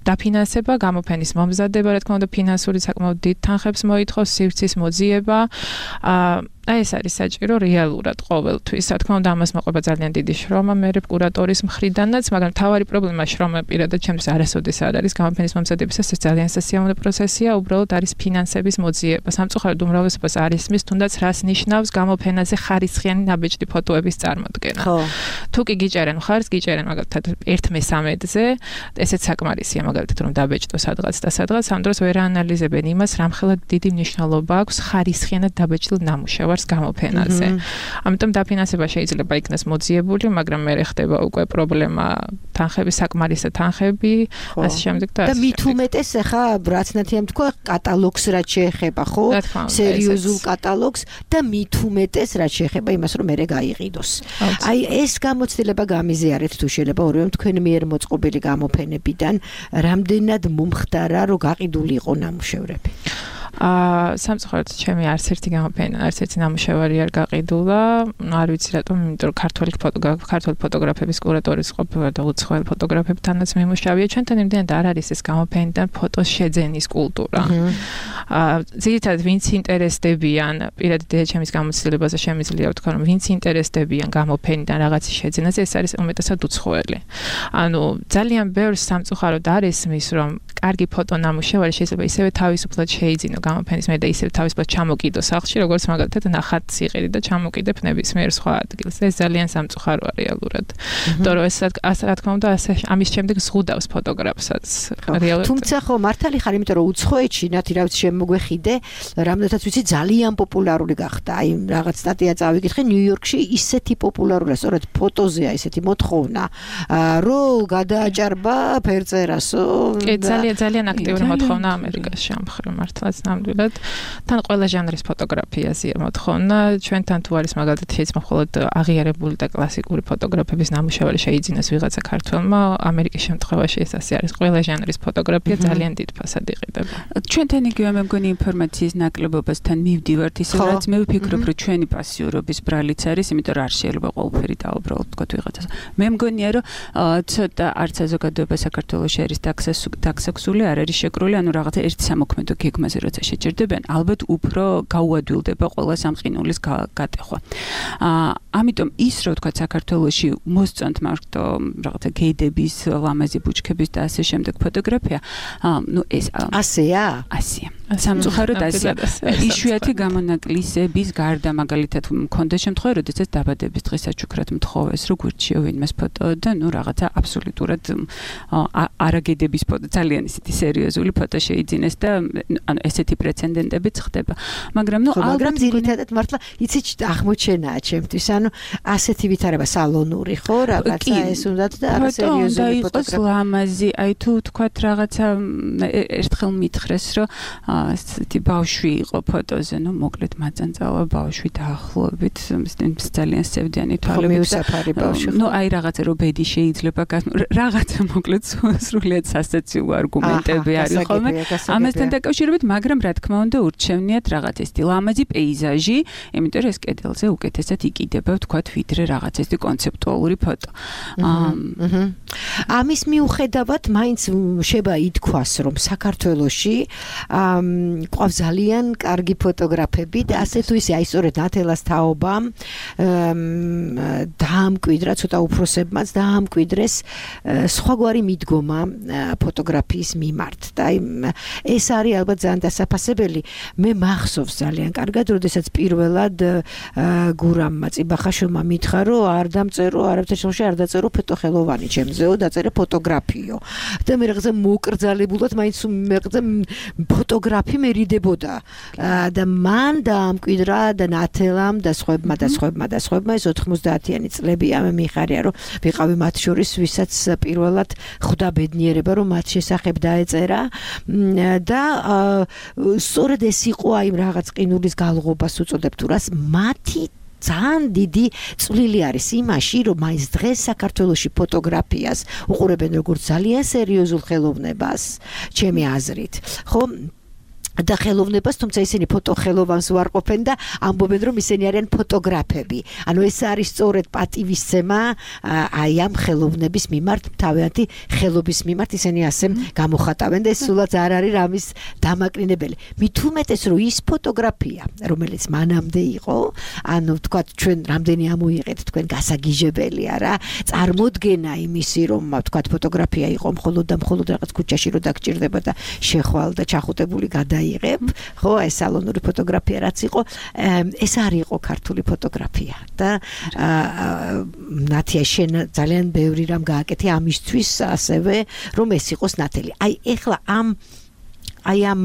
დაფინანსება, გამოფენის მომზადება, რა თქმა უნდა, ფინანსური საკმაოდ დიდ თანხებს მოითხოვს, სივრცის მოძიება. აი ეს არის საჭირო რეალურად ყოველთვის. რა თქმა უნდა, ამას მოყვება ძალიან დიდი შრომა მერე კურატორის მხრიდანაც, მაგრამ თავარი პრობლემა შრომა პირადად ჩემთვის არასოდეს არ არის გამოფენის მომზადებისას, ეს ძალიან სასიამოვნო პროცესია, უბრალოდ არის ფინანსების მოძიება. სამწუხაროდ უმრავლესობას არ ისმის, თუნდაც რას ნიშნავს გამოფენაზე ხარისხიანი ნაბეჭდი ფოტოების წარმოდგენა. ხო. თუ კი გიჭერენ მხარს, გიჭერენ მაგალითად ერთ მესამედზე, ესეც საკმარისია მაგალითად რომ დაბეჭდო სადღაც და სადღაც, ამ დროს ვერ აანალიზებენ იმას, რამხელად დიდი მნიშვნელობა აქვს ხარისხიანად დაბეჭდილ ნამუშევარს გამოფენაზე. ამიტომ დაფინანსება შეიძლება იქნას მოძიებული, მაგრამ მე ხდება უკვე პრობლემა თანხების საკმარისი თანხები, ასე შემდეგ და და მით უმეტეს ახლა რაც ნათიამ თქვა, კატალოგს რაც შეეხება, ხო? სერიოზულ კატალოგს და მით უმეტეს რაც შეეხება იმას, რომ მერე გაიყიდოს. აი ეს გამოცდილება გამიზიარეთ თუ შეიძლება ორივემ თქვენ მიერ მოწყობილი გამოფენებიდან, რამდენად მომხდარა, რომ გაყიდული იყო ნამუშევრები? აა სამწუხაროდ ჩემი არც ერთი გამოფენა, არც ერთი ნამუშევარი არ გაყიდულა. არ ვიცი რატომ, იმიტომ რომ ქართული ფოტოგრაფ, ქართული ფოტოგრაფების კურატორის ყოფილა და უცხოელ ფოტოგრაფებთანაც მიმუშავია. ჩვენთან იმდენად არ არის ეს გამოფენიდან ფოტოს შეძენის კულტურა. აა ძირითადად ვინც ინტერესდებიან, პირადად ჩემის გამოცდილებაზე შემიძლია ვთქვა, რომ ვინც ინტერესდებიან გამოფენიდან რაღაცის შეძენაზე, ეს არის უმეტესად უცხოელი. ანუ ძალიან ბევრს სამწუხაროდ არ ესმის, რომ კარგი ფოტო ნამუშევარი შეიძლება ისევე თავისუფლად შეიძინო გამოფენის მე და ისევ თავისუფლად ჩამოკიდო სახლში, როგორც მაგალითად ნახატ სიღირი და ჩამოკიდებ ნებისმიერ სხვა ადგილს. ეს ძალიან სამწუხაროა რეალურად. იმიტომ რომ ეს რა თქმა უნდა ასე ამის შემდეგ ზღუდავს ფოტოგრაფსაც რეალურად. თუმცა ხო მართალი ხარ, იმიტომ რომ უცხოეთში ნათი რა ვიცი შემოგვეხიდე, რამდენადაც ვიცი ძალიან პოპულარული გახდა. აი რაღაც სტატია წავიკითხე, ნიუ-იორკში ისეთი პოპულარულია, სწორედ ფოტოზეა ისეთი მოთხოვნა, რომ გადააჭარბა ფერწერასო. კი, ძალიან ძალიან აქტიური მოთხოვნა ამერიკაში ამ მხრივ მართლაც ნამდვილად. თან ყველა ჟანრის ფოტოგრაფიაზეა მოთხოვნა. ჩვენთან თუ არის მაგალითად შეიძლება მხოლოდ აღიარებული და კლასიკური ფოტოგრაფების ნამუშევარი შეიძინოს ვიღაცა ქართველმა, ამერიკის შემთხვევაში ეს ასე არის. ყველა ჟანრის ფოტოგრაფია ძალიან დიდ ფასად იყიდება. ჩვენთან იგივე მე მგონი ინფორმაციის ნაკლებობასთან მივდივართ, ისე რაც მე ვფიქრობ, რომ ჩვენი პასიურობის ბრალიც არის, იმიტომ რომ არ შეიძლება ყველაფერი დაუბრალოდ თქვა ვიღაცას. მე მგონია, რომ ცოტა არც საზოგადოება საქართველოში არის დაქსაქსული, არ არის შეკრული, ანუ რაღაცა ერთ სამოქმედო გეგმაზე როცა შეჭერდებიან, ალბათ უფრო გაუადვილდება ყველა სამყინულის გატეხვა. აა ამიტომ ის რო თქვა საქართველოში მოსწონთ მარტო რაღაცა გედების, ლამაზი ბუჩქების და ასე შემდეგ ფოტოგრაფია, აა ნუ ეს ასეა? ასეა. სამწუხაროდ ასეა. იშვიათი გამონაკლისების გარდა მაგალითად მქონდა შემთხვევა, როდესაც დაბადების დღეს აჩუქრად მთხოვეს, რო გვირჩიო ვინმეს ფოტო და ნუ რაღაცა აბსოლუტურად არაგედების ფოტო, ძალიან ისეთი სერიოზული ფოტო შეიძინეს და ანუ ესეთი პრეცედენტებიც ხდება. მაგრამ ნუ ალბათ ძირითადად მართლა იცი აღმოჩენაა ჩემთვის, ანუ ასეთი ვითარება სალონური, ხო, რაღაცა ეს უნდათ და არა სერიოზული ფოტოგრაფია. ლამაზი, აი თუ თქვათ რაღაცა ერთხელ მითხრეს, რომ ასეთი ბავშვი იყო ფოტოზე, ნუ მოკლედ მაწანწალა ბავშვი დაახლოებით ძალიან სევდიანი თვალებით. ნუ აი რაღაცა რო ბედი შეიძლება რაღაცა მოკლედ სრულიად სასაცილო არგუმენტები არის ხოლმე. ამასთან დაკავშირებით, მაგრამ მაგრამ რა თქმა უნდა ურჩევნიათ რაღაც ეს ლამაზი პეიზაჟი, იმიტომ რომ ეს კედელზე უკეთესად იკიდება, ვთქვათ, ვიდრე რაღაც ეს კონცეპტუალური ფოტო. ამის მიუხედავად მაინც შეება ითქვას, რომ საქართველოში ყავს ძალიან კარგი ფოტოგრაფები და ასე თუ ისე აი სწორედ ნათელას თაობამ დაამკვიდრა ცოტა უფროსებმაც დაამკვიდრეს სხვაგვარი მიდგომა ფოტოგრაფიის მიმართ და ეს არის ალბათ ძალიან დასაფასებელი. მე მახსოვს ძალიან კარგად, როდესაც პირველად გურამმა წიბახაშვილმა მითხრა, რომ არ დამწერო, არაფერ შემოში არ დაწერო ფოტოხელოვანი ჩემზეო, დაწერე ფოტოგრაფიო. და მე რაღაცა მოკრძალებულად მაინც მეღზე ფოტოგრაფი მერიდებოდა. და მან დაამკვიდრა და ნათელამ და სხვებმა და სხვებმა და სხვებმა ეს ოთხმოცდაათიანი წლები ამ მიხარია, რომ ვიყავი მათ შორის, ვისაც პირველად ხვდა ბედნიერება, რომ მათ შესახებ დაეწერა და სწორედ ეს იყო აი რაღაც ყინულის გალღობას უწოდებთ თუ რას მათი ძალიან დიდი წვლილი არის იმაში, რომ მაინც დღეს საქართველოში ფოტოგრაფიას უყურებენ როგორც ძალიან სერიოზულ ხელოვნებას, ჩემი აზრით. ხო? და ხელოვნებას, თუმცა ისინი ფოტოხელოვანს უარყოფენ და ამბობენ, რომ ისინი არიან ფოტოგრაფები. ანუ ეს არის სწორედ პატივისცემა აი ამ ხელოვნების მიმართ, თავიანთი ხელობის მიმართ ისინი ასე გამოხატავენ და ეს სულაც არ არის რამის დამაკნინებელი. მით უმეტეს, რომ ის ფოტოგრაფია, რომელიც მანამდე იყო, ანუ ვთქვათ, ჩვენ რამდენი ამოიღეთ თქვენ გასაგიჟებელია რა, წარმოდგენა იმისი, რომ ვთქვათ, ფოტოგრაფია იყო მხოლოდ და მხოლოდ რაღაც ქუჩაში რო დაგჭირდება და შეხვალ და ჩახუტებული გადა იღებ, ხო, ეს სალონური ფოტოგრაფია რაც იყო, ეს არ იყო ქართული ფოტოგრაფია და ნათია შენ ძალიან ბევრი რამ გააკეთე ამისთვის ასევე, რომ ეს იყოს ნათელი. აი ეხლა ამ აი ამ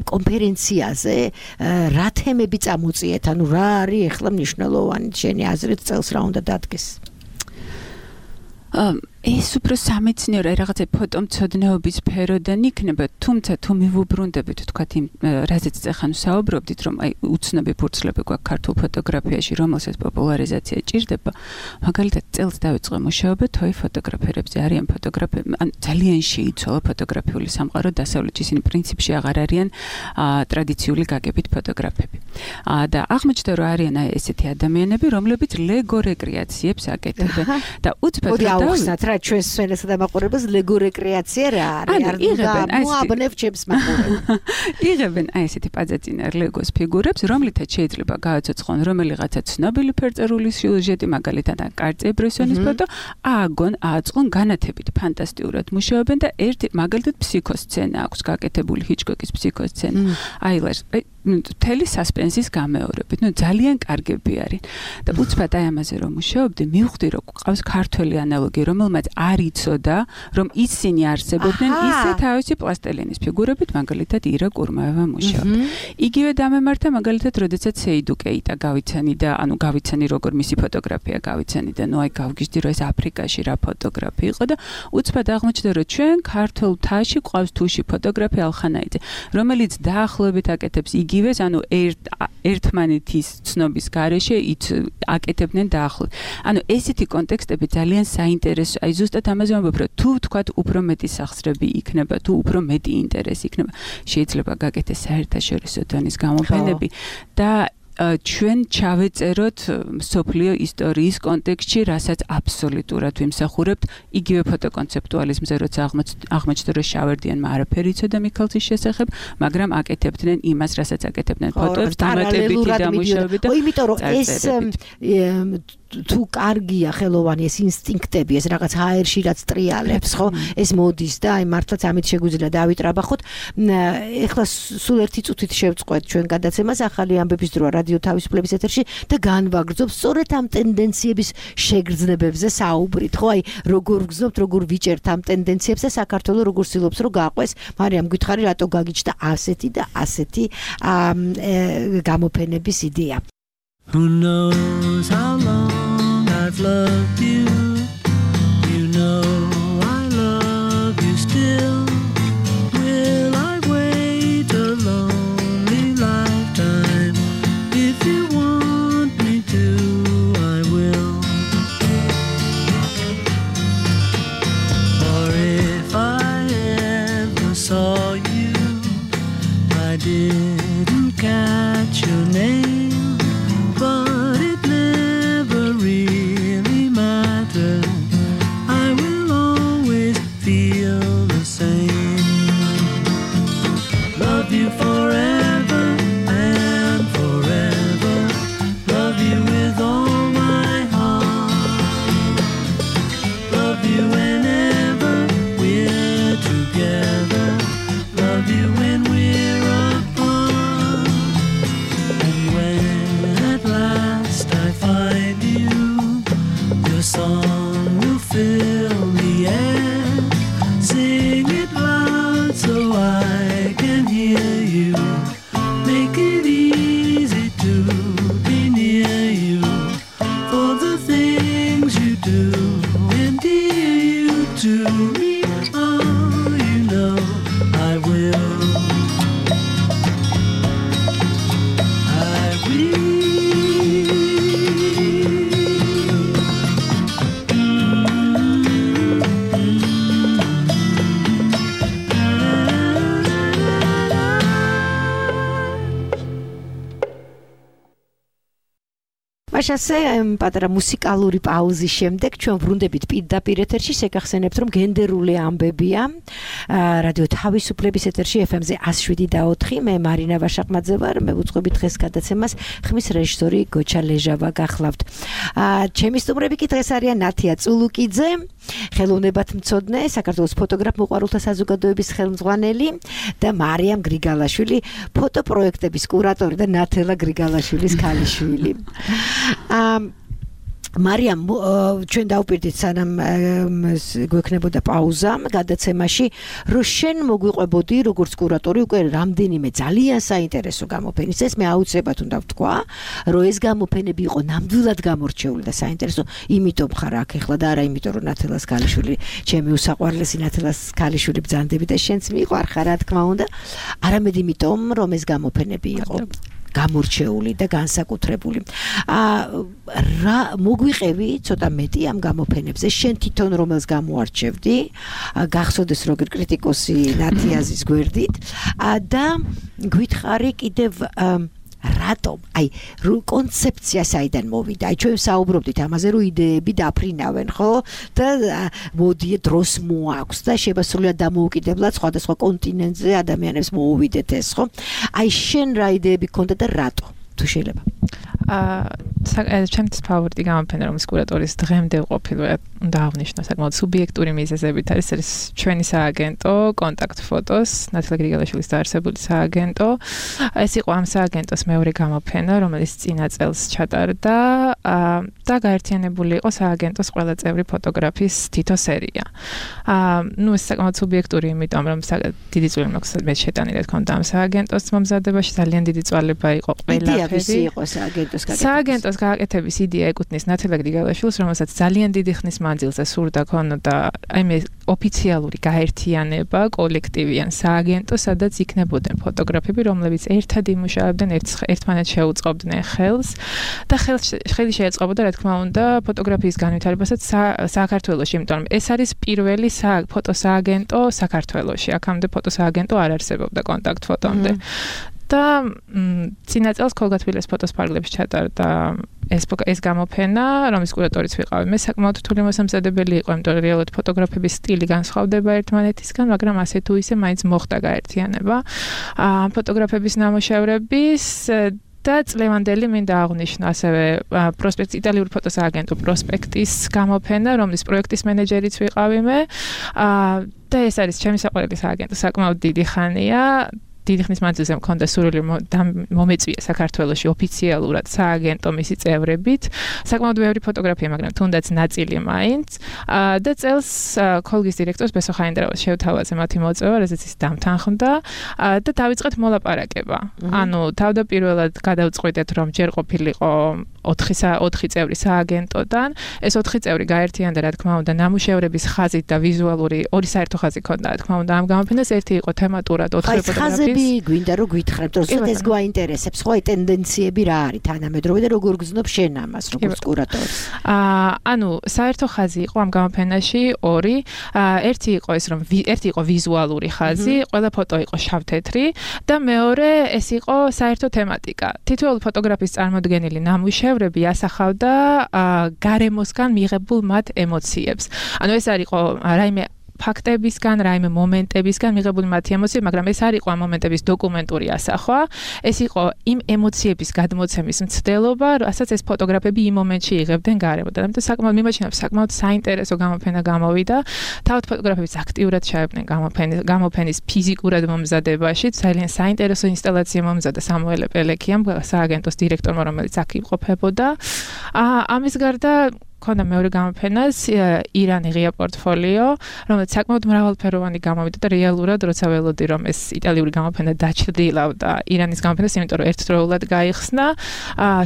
კონფერენციაზე რა თემები წამოწიეთ, ანუ რა არის ეხლა მნიშვნელოვანი შენი აზრით წელს რა უნდა დადგეს? ეს უფრო სამეცნიერო რაღაცა ფოტომცოდნეობის სფეროდან იქნება, თუმცა თუ მივუბრუნდებით, თქვათ იმ რაზეც ახლა საუბრობდით, რომ აი უცნობი ფურცლები გვაქვს ქართულ ფოტოგრაფიაში, რომელსაც პოპულარიზაცია ჭირდება, მაგალითად წელს დავიწყე მუშაობა თოი ფოტოგრაფერებზე, არიან ფოტოგრაფები, ან ძალიან შეიცვალა ფოტოგრაფიული სამყარო დასავლეთში, ისინი პრინციპში აღარ არიან ტრადიციული გაგებით ფოტოგრაფები. და აღმოჩნდა, რომ არიან აი ესეთი ადამიანები, რომლებიც ლეგო რეკრეაციებს აკეთებენ და უცბად დავხსნათ რა ჩვენს სვენესა და მაყურებელს ლეგო რეკრეაცია რა არის? არ უნდა მოაბნევ ჩემს მაყურებელს. იღებენ აი ესეთი პაძაწინა ლეგოს ფიგურებს, რომლითაც შეიძლება გააცოცხლონ რომელიღაცა ცნობილი ფერწერული სიუჟეტი, მაგალითად კარლ ბრესონის ფოტო, ააგონ, ააწყონ განათებით ფანტასტიურად მუშაობენ და ერთი მაგალითად ფსიქოსცენა აქვს გაკეთებული ჰიჩკოკის ფსიქოსცენა. აი ლას მთელი სასპენსის გამეორებით, ნუ ძალიან კარგები არის. და უცბად აი ამაზე რომ მუშაობდი, მივხვდი რომ ყავს ქართველი ანალოგი, რომელმაც არ იცოდა, რომ ისინი არსებობდნენ ისე თავისი პლასტელინის ფიგურებით, მაგალითად ირა კურმაევა მუშაობდა. იგივე დამემართა მაგალითად, როდესაც სეიდუ კეიტა გავიცანი და ანუ გავიცანი როგორ მისი ფოტოგრაფია გავიცანი და ნუ აი გავგიჟდი რომ ეს აფრიკაში რა ფოტოგრაფი იყო და უცბად აღმოჩნდა რომ ჩვენ ქართულ მთაში ყავს თუში ფოტოგრაფი ალხანაიძე, რომელიც დაახლოებით აკეთებს იგივეს, ანუ ერთმანეთის ცნობის გარეშე აკეთებდნენ დაახლოებით. ანუ ესეთი კონტექსტები ძალიან საინტერესო, აი ზუსტად ამაზე ვამბობ, რომ თუ თქვათ უფრო მეტი სახსრები იქნება, თუ უფრო მეტი ინტერესი იქნება, შეიძლება გაკეთდეს საერთაშორისო დონის გამოფენები და ჩვენ ჩავეწეროთ სოფლიო ისტორიის კონტექსტში, რასაც აბსოლუტურად ვიმსახურებთ, იგივე ფოტოკონცეპტუალიზმზე, როცა აღმოჩნდა, რომ შავერდიანმა არაფერი იცოდა მიქელცის შესახებ, მაგრამ აკეთებდნენ იმას, რასაც აკეთებდნენ ფოტოებს, დამატებითი დამუშავებით და იმიტომ რომ ეს თუ კარგია ხელოვანი ეს ინსტინქტები, ეს რაღაც ჰაერში რაც ტრიალებს, ხო? ეს მოდის და აი მართლაც ამით შეგვიძლია დავიტრაბახოთ. ეხლა სულ ერთი წუთით შევწყვეთ ჩვენ გადაცემას ახალი ამბების დროა რადიო თავისუფლების ეთერში და განვაგრძობ სწორედ ამ ტენდენციების შეგრძნებებზე საუბრით, ხო? აი როგორ გრძნობთ, როგორ ვიჭერთ ამ ტენდენციებს და საქართველოს როგორ ცდილობს რომ გაყვეს, მარიამ გითხარი რატო გაგიჩნდა ასეთი და ასეთი გამოფენების იდეა. Who knows how long I've loved you? You know I love you still. Will I wait a lonely lifetime? If you want me to, I will. Or if I ever saw you მაშასე პატარა მუსიკალური პაუზის შემდეგ ჩვენ ვრუნდებით პირდაპირ ეთერში, შეგახსენებთ რომ გენდერული ამბებია რადიო თავისუფლების ეთერში ეფ ემ-ზე one oh seven და four მე მარინა ვაშაყმაძე ვარ, მე ვუძღვები დღეს გადაცემას, ხმის რეჟისორი გოჩა ლეჟავა გახლავთ. ჩემი სტუმრები კი დღეს არიან ნათია წულუკიძე, ხელოვნებათმცოდნე, საქართველოს ფოტოგრაფ მოყვარულთა საზოგადოების ხელმძღვანელი და მარიამ გრიგალაშვილი, ფოტოპროექტების კურატორი და ნათელა გრიგალაშვილის ქალიშვილი. Um, მარიამ, ჩვენ დავპირდით სანამ გვექნებოდა პაუზა გადაცემაში, რომ შენ მოგვიყვებოდი როგორც კურატორი უკვე რამდენიმე ძალიან საინტერესო გამოფენის. ეს მე აუცილებლად უნდა ვთქვა, რომ ეს გამოფენები იყო ნამდვილად გამორჩეული და საინტერესო, იმიტომ ხარ აქ ახლა და არა იმიტომ რომ ნათელას ქალიშვილი, ჩემი უსაყვარლესი ნათელას ქალიშვილი ბრძანდები და შენც მიყვარხარ, რა თქმა უნდა, არამედ იმიტომ რომ ეს გამოფენები იყო გამორჩეული და განსაკუთრებული. რა მოგვიყევი ცოტა მეტი ამ გამოფენებზე, შენ თვითონ რომელს გამოარჩევდი, გახსოვდეს როგორ კრიტიკოსი ნათიაზის გვერდით და გითხარი კიდევ რატომ, აი, კონცეფცია საიდან მოვიდა? აი, ჩვენ საუბრობდით ამაზე, რომ იდეები დაფრინავენ, ხო? და მოდი დროს მოაქვს და შემოსრულიად დამოუკიდებლად სხვადასხვა კონტინენტზე ადამიანებს მოუვიდეთ ეს, ხო? აი, შენ რა იდეები გქონდა და რატო? თუ შეიძლება. აა, ჩემთვის ფავორიტი გამოფენა, რომელიც კურატორის დღემდე ყოფილი უნდა აღნიშნო, საკმაოდ სუბიექტური მიზეზებით არის, ეს ჩვენი სააგენტო კონტაქტ ფოტოს, ნათელა გრიგალაშვილის დაარსებული სააგენტო. ეს იყო ამ სააგენტოს მეორე გამოფენა, რომელიც წინა წელს ჩატარდა და გაერთიანებული იყო სააგენტოს ყველა წევრი ფოტოგრაფის თითო სერია. აა, ნუ ეს საკმაოდ სუბიექტური, იმიტომ რომ დიდი წვლილი მაქვს მე შეტანილი რა თქმა უნდა ამ სააგენტოს მომზადებაში, ძალიან დიდი წვალება იყო ყველაფერი. იყო სააგენტოს გაკეთების. სააგენტოს გაკეთების იდეა ეკუთვნის ნათელა გრიგალაშვილს, რომელსაც ძალიან დიდი ხნის მანძილზე სურდა ქონოდა აი მე ოფიციალური გაერთიანება, კოლექტივი ან სააგენტო, სადაც იქნებოდნენ ფოტოგრაფები, რომლებიც ერთად იმუშავებდნენ, ერთმანეთს შეუწყობდნენ ხელს და ხელი შეეწყობოდა, რა თქმა უნდა, ფოტოგრაფიის განვითარებასაც საქართველოში, იმიტომ რომ ეს არის პირველი ფოტოსააგენტო საქართველოში. აქამდე ფოტოსააგენტო არ არსებობდა კონტაქტ ფოტომდე. და წინა წელს ქოლგათბილეს ფოტოს ფარგლებში ჩატარდა ეს ეს გამოფენა, რომლის კურატორიც ვიყავი. მე საკმაოდ რთული მოსამზადებელი იყო, იმიტომ რომ რეალურად ფოტოგრაფების სტილი განსხვავდება ერთმანეთისგან, მაგრამ ასე თუ ისე მაინც მოხდა გაერთიანება. ამ ფოტოგრაფების ნამუშევრების და წლევანდელი მინდა აღვნიშნო ასევე პროსპექტ იტალიური ფოტოსააგენტო პროსპექტის გამოფენა, რომლის პროექტის მენეჯერიც ვიყავი მე. და ეს არის ჩემი საყვარელი სააგენტო, საკმაოდ დიდი ხანია. დიდი ხნის მანძილზე მქონდა სურვილი მომეწვია საქართველოში ოფიციალურად სააგენტო მისი წევრებით. საკმაოდ ბევრი ფოტოგრაფია, მაგრამ თუნდაც ნაწილი მაინც. და წელს ქოლგის დირექტორს ბესო ხაინდრავას შევთავაზე მათი მოწვევა, რაზეც ის დამთანხმდა და დავიწყეთ მოლაპარაკება. ანუ თავდაპირველად გადავწყვიტეთ, რომ ჯერ ყოფილიყო ოთხი წევრი სააგენტოდან, ეს ოთხი წევრი გაერთიანდა, რა თქმა უნდა, ნამუშევრების ხაზით და ვიზუალური ორი საერთო ხაზი ქონდა, რა თქმა უნდა, ამ გამოფენას. ერთი იყო თემატურად ოთხი ფოტოგრაფია. გვინდა რომ გითხრათ, რომ ეს გვაინტერესებს, ხო, აი ტენდენციები რა არის თანამედროვე და როგორ გზნობ შენ ამას, როგორც კურატორი? აა, ანუ საერთო ხაზი იყო ამ გამოფენაში ორი. ერთი იყო ეს, რომ ერთი იყო ვიზუალური ხაზი, ყველა ფოტო იყო შავ-თეთრი და მეორე ეს იყო საერთო თემატიკა. თითოეული ფოტოგრაფის წარმოდგენილი ნამუშევრები ასახავდა გარემოსგან მიღებულ მათ ემოციებს. ანუ ეს არ იყო რაიმე ფაქტებისგან, რაიმე მომენტებისგან მიღებული მათი ემოციები, მაგრამ ეს არ იყო ამ მომენტების დოკუმენტური ასახვა. ეს იყო იმ ემოციების გადმოცემის მცდელობა, რასაც ეს ფოტოგრაფები იმ მომენტში იღებდნენ გარემოდან. ამიტომ საკმაოდ მიმაჩნევ, საკმაოდ საინტერესო გამოფენა გამოვიდა. თავად ფოტოგრაფებიც აქტიურად ჩაებდნენ გამოფენის გამოფენის ფიზიკურად მომზადებაში. ძალიან საინტერესო ინსტალაცია მომზადა სამუელე პელეკიამ, სააგენტოს დირექტორმა, რომელიც აქ იმყოფებოდა. ამის გარდა ქონდა მეორე გამოფენას ირანი ღია პორტფოლიო, რომელიც საკმაოდ მრავალფეროვანი გამოვიდა და რეალურად როცა ველოდი რომ ეს იტალიური გამოფენა დაჩრდილავდა ირანის გამოფენას, იმიტომ რომ ერთდროულად გაიხსნა,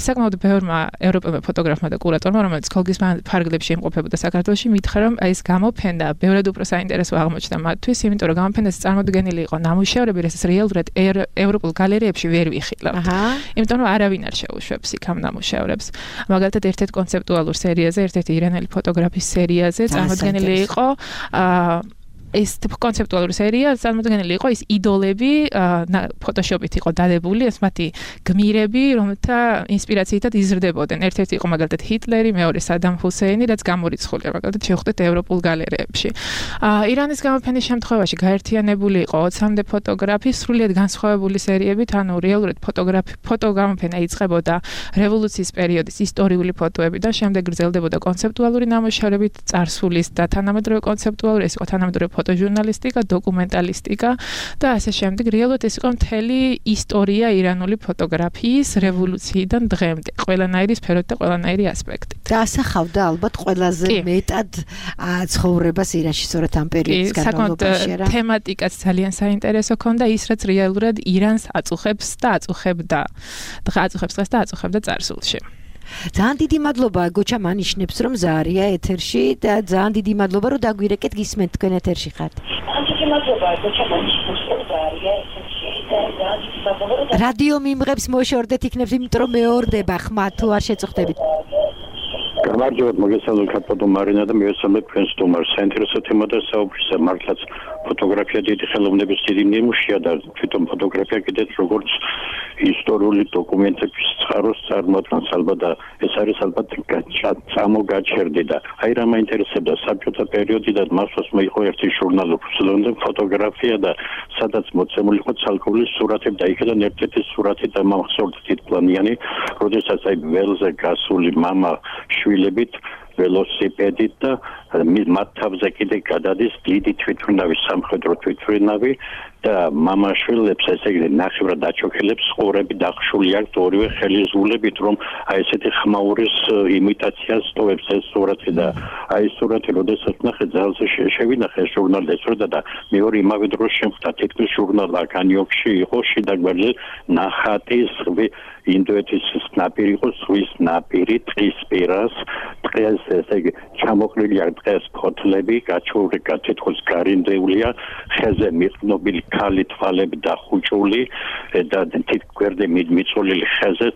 საკმაოდ ბევრმა ევროპელმა ფოტოგრაფმა და კურატორმა, რომელიც ქოლგის ფარგლებში იმყოფებოდა საქართველოში, მითხრა რომ ეს გამოფენა ბევრად უფრო საინტერესო აღმოჩნდა მათთვის, იმიტომ რომ გამოფენას წარმოდგენილი იყო ნამუშევრები, რასაც რეალურად ევროპულ გალერეებში ვერ ვიხილავთ. იმიტომ რომ არავინ არ შეუშვებს იქ ამ ნამუშევრებს. მაგალითად ერთ-ერთ კონცეპტუალურ სერიაზე, ერთ-ერთი ირანელი ფოტოგრაფის სერიაზე წარმოდგენილი იყო ეს კონცეპტუალური სერია წარმოდგენილი იყო ის იდოლები ფოტოშოპით იყო დადებული, ეს მათი გმირები, რომელთა ინსპირაციითაც იზრდებოდნენ. ერთ-ერთი იყო მაგალითად ჰიტლერი, მეორე სადამ ჰუსეინი, რაც გამორიცხულია მაგალითად შევხვდეთ ევროპულ გალერეებში. ირანის გამოფენის შემთხვევაში გაერთიანებული იყო ოცამდე ფოტოგრაფი, სრულიად განსხვავებული სერიებით, ანუ რეალურად ფოტოგრაფი ფოტოგრაფია იწყებოდა რევოლუციის პერიოდის ისტორიული ფოტოები და შემდეგ გრძელდებოდა კონცეპტუალური ნამუშევრებით, წარსულის და თანამედროვე კონცეპტუალური, ეს იყო თანამედროვე ფოტოჟურნალისტიკა, დოკუმენტალისტიკა და ასე შემდეგ. რეალურად ეს იყო მთელი ისტორია ირანული ფოტოგრაფიის რევოლუციიდან დღემდე, ყველანაირი სფეროთი და ყველანაირი ასპექტი. და ასახავდა ალბათ ყველაზე მეტად ცხოვრებას ირანში, სწორედ ამ პერიოდის განმავლობაში რა. თემატიკაც ძალიან საინტერესო ქონდა, ის რაც რეალურად ირანს აწუხებს და აწუხებდა. დღე აწუხებს დღეს და აწუხებდა წარსულში. ძალიან დიდი მადლობა გოჩა მანიშნებს რომ ზარია ეთერში და ძალიან დიდი მადლობა რომ დაგვირეკეთ გისმენთ თქვენ ეთერში ხართ. ძალიან დიდი მადლობა გოჩა მანიშნებს რომ ზარია ეთერში და ძალიან დიდი მადლობა რომ რადიო მიმღებს მოშორდეთ იქნებს იმიტომ რომ მეორდება ხმა თუ არ შეწუხდებით. გამარჯობათ მოგესალმებით ფოტო მარინა და მივესალმებ თქვენს სტუმარს. საინტერესო თემა და საუბრისა მართლაც ფოტოგრაფია დიდი ხელოვნების დიდი ნიმუშია და თვითონ ფოტოგრაფია კიდეც როგორც ისტორიული დოკუმენტების წყაროს წარმოადგენს ალბათ და ეს არის ალბათ წამოგაჩერდი და აი რა მაინტერესებდა საბჭოთა პერიოდი და მასვას მოიყო ერთი ჟურნალი უსულონდე ფოტოგრაფია და სადაც მოცემული იყო ცალკეული სურათები და იქიდან ერთ-ერთი სურათი და მახსოვდა თითქმიანი როდესაც აი ველზე გასული мама შვილებით ველოსიპედით და მათ თავზე კიდე გადადის დიდი თვითმფრინავი სამხედრო თვითმფრინავი და მამაშვილებს ესე იგი ნახევრად დაჩოქილებს ყურები დახშული აქვს ორივე ხელისგულებით რომ აი ესეთი ხმაურის იმიტაციას ტოვებს ეს სურათი და აი სურათი როდესაც ნახე ძალზე შევინახე ჟურნალს ესროდა და მეორე იმავე დროს შემხვდა თითქმის ჟურნალ აკანიოქში იყო შიდა გვერდზე ნახატი ზღვი ინდოეთის ნაპირი იყო ზღვის ნაპირი ტყის პირას დღეს ესე იგი ჩამოყრილია დღეს ფოთლები გაჩეული თითქოს გარინდეულია ხეზე მიყნობილი ქალი თვალები დახუჭული და თითგვერდე მიწოლილი ხეზე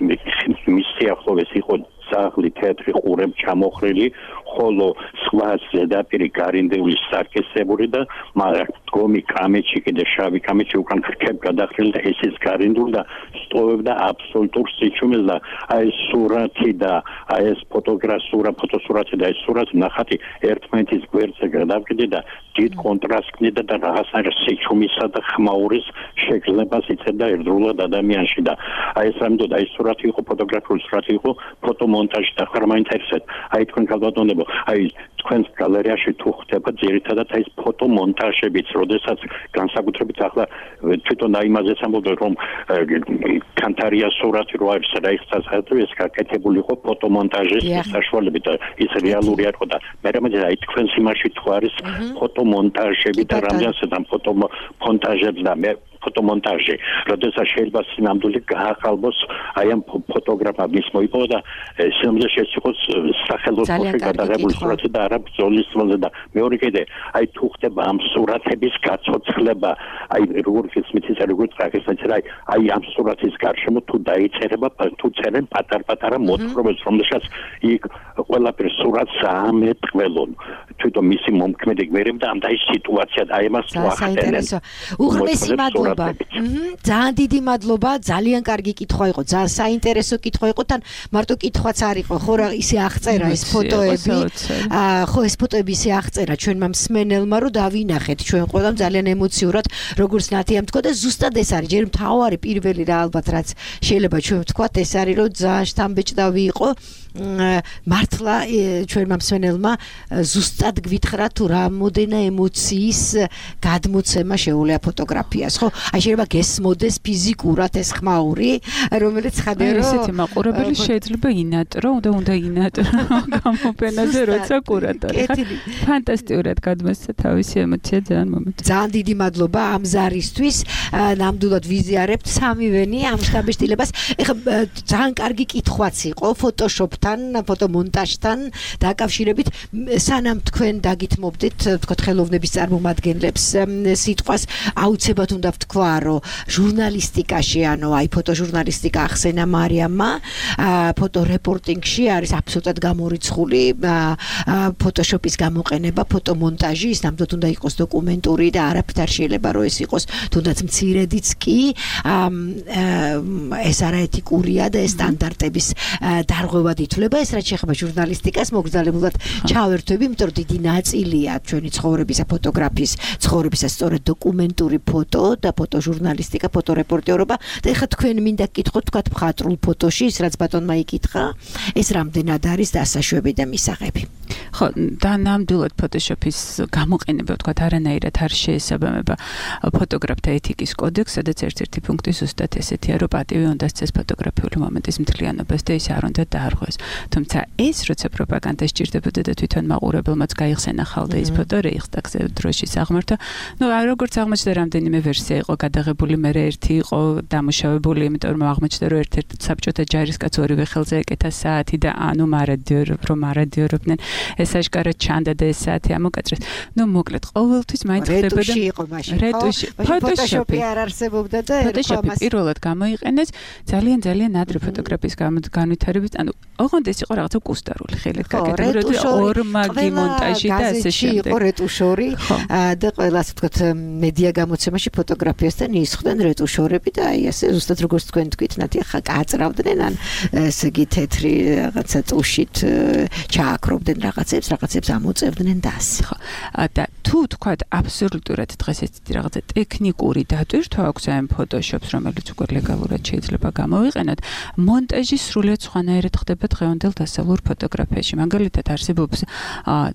მის სიახლოვეს იყო ძაღლი თეთრი ყურემ ჩამოხრილი ხოლო სხვა ზედაპირი გარინდეული სარკესებული და მაგრამ გომი კამეჩი კიდე შავი კამეჩი უკან ქერქებ გადახრილი და ეს ის გარინდული და სტოვებდა აბსოლუტურ სიჩუმეს და აი სურათი და აი ეს ფოტოგრაფია ფოტოსურათი და ეს სურათი ნახატი ერთმანეთის გვერდზე გადავკიდე და დიდ კონტრასტს და რაღაცნაირ სიჩუმისა და ხმაურის შეგრძნებას იწევდა ერთდროულად ადამიანში და აი ეს რამდოდა აი სურათი იყო ფოტოგრაფიული სურათი იყო ფოტომონტაჟი და ხარ მაინტერესებს აი თქვენ გალბატონებო აი თქვენს გალერეაში თუ ხდება ძირითადად აი ეს ფოტომონტაჟებიც როდესაც განსაკუთრებით ახლა თვითონ აი იმაზეც ამბობ რომ კანტარია სურათი რო არის რაიხსტასხელტი ეს გაკეთებული იყო ფოტომონტაჟის საშუალებით და ის რეალური არ იყო და მე რამე აი თქვენს იმაში თუ არის ფოტომონტაჟები და რამდენსაც ამ ფოტომონტაჟებს და მე ფოტომონტაჟი როდესაც შეიძლება სინამდვილე გაახალბოს აი ამ ფოტოგრაფების მოიპოვა და სინამდვილე შეციყოს სახელოსნოში გადაღებული სურათი და არა ბრძოლის მოზე და მეორე კიდე აი თუ ხდება ამ სურათების გაცოცხლება აი როგორც ისმითის როგორც რაღაცა აი აი ამ სურათის გარშემო თუ დაიწერება თუ წერენ პატარ-პატარა მოთხრობებს რომელსაც იქ ყველაფერი სურათს ამეტყველონ თვითონ მისი მომქმედი გვერები და ამ და ის სიტუაცია აი ამას ვახდენენ უღმესი მადლობა ძალიან დიდი მადლობა ძალიან კარგი კითხვა იყო ძალიან საინტერესო კითხვა იყო თან მარტო კითხვაც არ იყო ხო რა ისე აღწერა ეს ფოტოები ხო ეს ფოტოები ისე აღწერა ჩვენმა მსმენელმა რომ დავინახეთ ჩვენ ყველამ ძალიან ემოციურად როგორც ნათიამ თქვა და ზუსტად ეს არის ჯერ მთავარი პირველი რა ალბათ რაც შეიძლება ჩვენ ვთქვათ ეს არის რომ ძალიან შთამბეჭდავი იყო მართლა ჩვენმა მსმენელმა ზუსტად გვითხრა თუ რამოდენა ემოციის გადმოცემა შეუძლია ფოტოგრაფიას ხო აი შეიძლება გესმოდეს ფიზიკურად ეს ხმაური რომელიც ხადერო ესეთი მაყურებელი შეიძლება ინატრო და უნდა ინატრო გამოფენაზე როცა კურატორი ხარ ფანტასტიკურად გადმოსცა თავისი ემოცია ძალიან მომეწონა ძალიან დიდი მადლობა ამ ზარისთვის ნამდვილად ვიზიარებთ სამივენი ამ შთაბეჭდილებას ეხლა ძალიან კარგი კითხვაც იყო ფოტოშოპთან ფოტომონტაჟთან დაკავშირებით სანამ თქვენ დაგითმობდით თქო ხელოვნების წარმომადგენლებს სიტყვას აუცილებლად უნდა თქვა, რომ ჟურნალისტიკაში, ანუ აი ფოტოჟურნალისტიკა ახსენა მარიამმა, ფოტორეპორტინგში არის აბსოლუტურად გამორიცხული ფოტოშოპის გამოყენება, ფოტომონტაჟი, ის ნამდვილად უნდა იყოს დოკუმენტური და არაფერ არ შეიძლება რომ ეს იყოს თუნდაც მცირედიც კი ეს არაეთიკურია და ეს სტანდარტების დარღვევად ითვლება. ეს რაც შეეხება ჟურნალისტიკას, მოგზაურობულად ჩავერთვები, იმიტომ რომ დიდი ნაწილია ჩვენი ცხოვრებისა, ფოტოგრაფიის ცხოვრებისა სწორედ დოკუმენტური ფოტო და ფოტოჟურნალისტიკა, ფოტორეპორტიორობა. და ეხლა თქვენ მინდა გკითხოთ თქვათ მხატვრულ ფოტოში, ის რაც ბატონმა იკითხა, ეს რამდენად არის დასაშვები და მისაღები. ხო, და ნამდვილად ფოტოშოპის გამოყენება თქვათ არანაირად არ შეესაბამება ფოტოგრაფთა ეთიკის კოდექსს, სადაც ერთ-ერთი პუნქტი ზუსტად ესეთია, რომ პატივი უნდა სცეს ფოტოგრაფიული მომენტის მთლიანობას და ის არ უნდა დაარღვევს. თუმცა ეს როცა პროპაგანდა სჭირდებოდა და თვითონ მაყურებელმაც გაიხსენა ხალხი ის ფოტო რეიხსტაგზე დროშის აღმართა, ну, როგორც აღმოჩნდა რამდენიმე ვერსია იყო გადაღებული, მე ერთი იყო დამუშავებული, იმიტომ რომ აღმოჩნდა რომ ერთ-ერთ საბჭოთა ჯარისკაც ორივე ხელზე ეკეთა საათი და ანუ მარადიორობ, რომ მარადიორობდნენ, ეს აშკარად ჩანდა და ეს საათი ამოკაწრეს. ну, მოკლედ, ყოველთვის მაინც ხდებოდა რეტუში იყო მაშინ. რეტუში, ფოტოშოპი არ არსებობდა და ფოტოშოპი პირველად გამოიყენეს ძალიან ძალიან ადრე ფოტოგრაფიის განვითარებით, ანუ ოღონდ ეს იყო რაღაცა კუსტარული ხელით გაკეთებული, ორმაგი მონტაჟი და ასე შემდეგ. იყო რეტუშორი და ყველა ასე ვთქვათ მედია გამოცემაში ფოტოგრაფიასთან ისხდნენ რეტუშორები და აი ასე ზუსტად როგორც თქვენ თქვით, ნათი ხა კაწრავდნენ ან ესე იგი თეთრი რაღაცა ტუშით ჩააკრობდნენ რაღაცებს, რაღაცებს ამოწევდნენ და ასე. ხო. და თუ თქვათ აბსოლუტურად დღეს ეს რაღაცა ტექნიკური დატვირთვა აქვს ამ ფოტოშოპს, რომელიც უკვე ლეგალურად შეიძლება გამოვიყენოთ, მონტაჟი სრულიად სხვანაირად ხდება დღევანდელ დასავლურ ფოტოგრაფიაში. მაგალითად არსებობს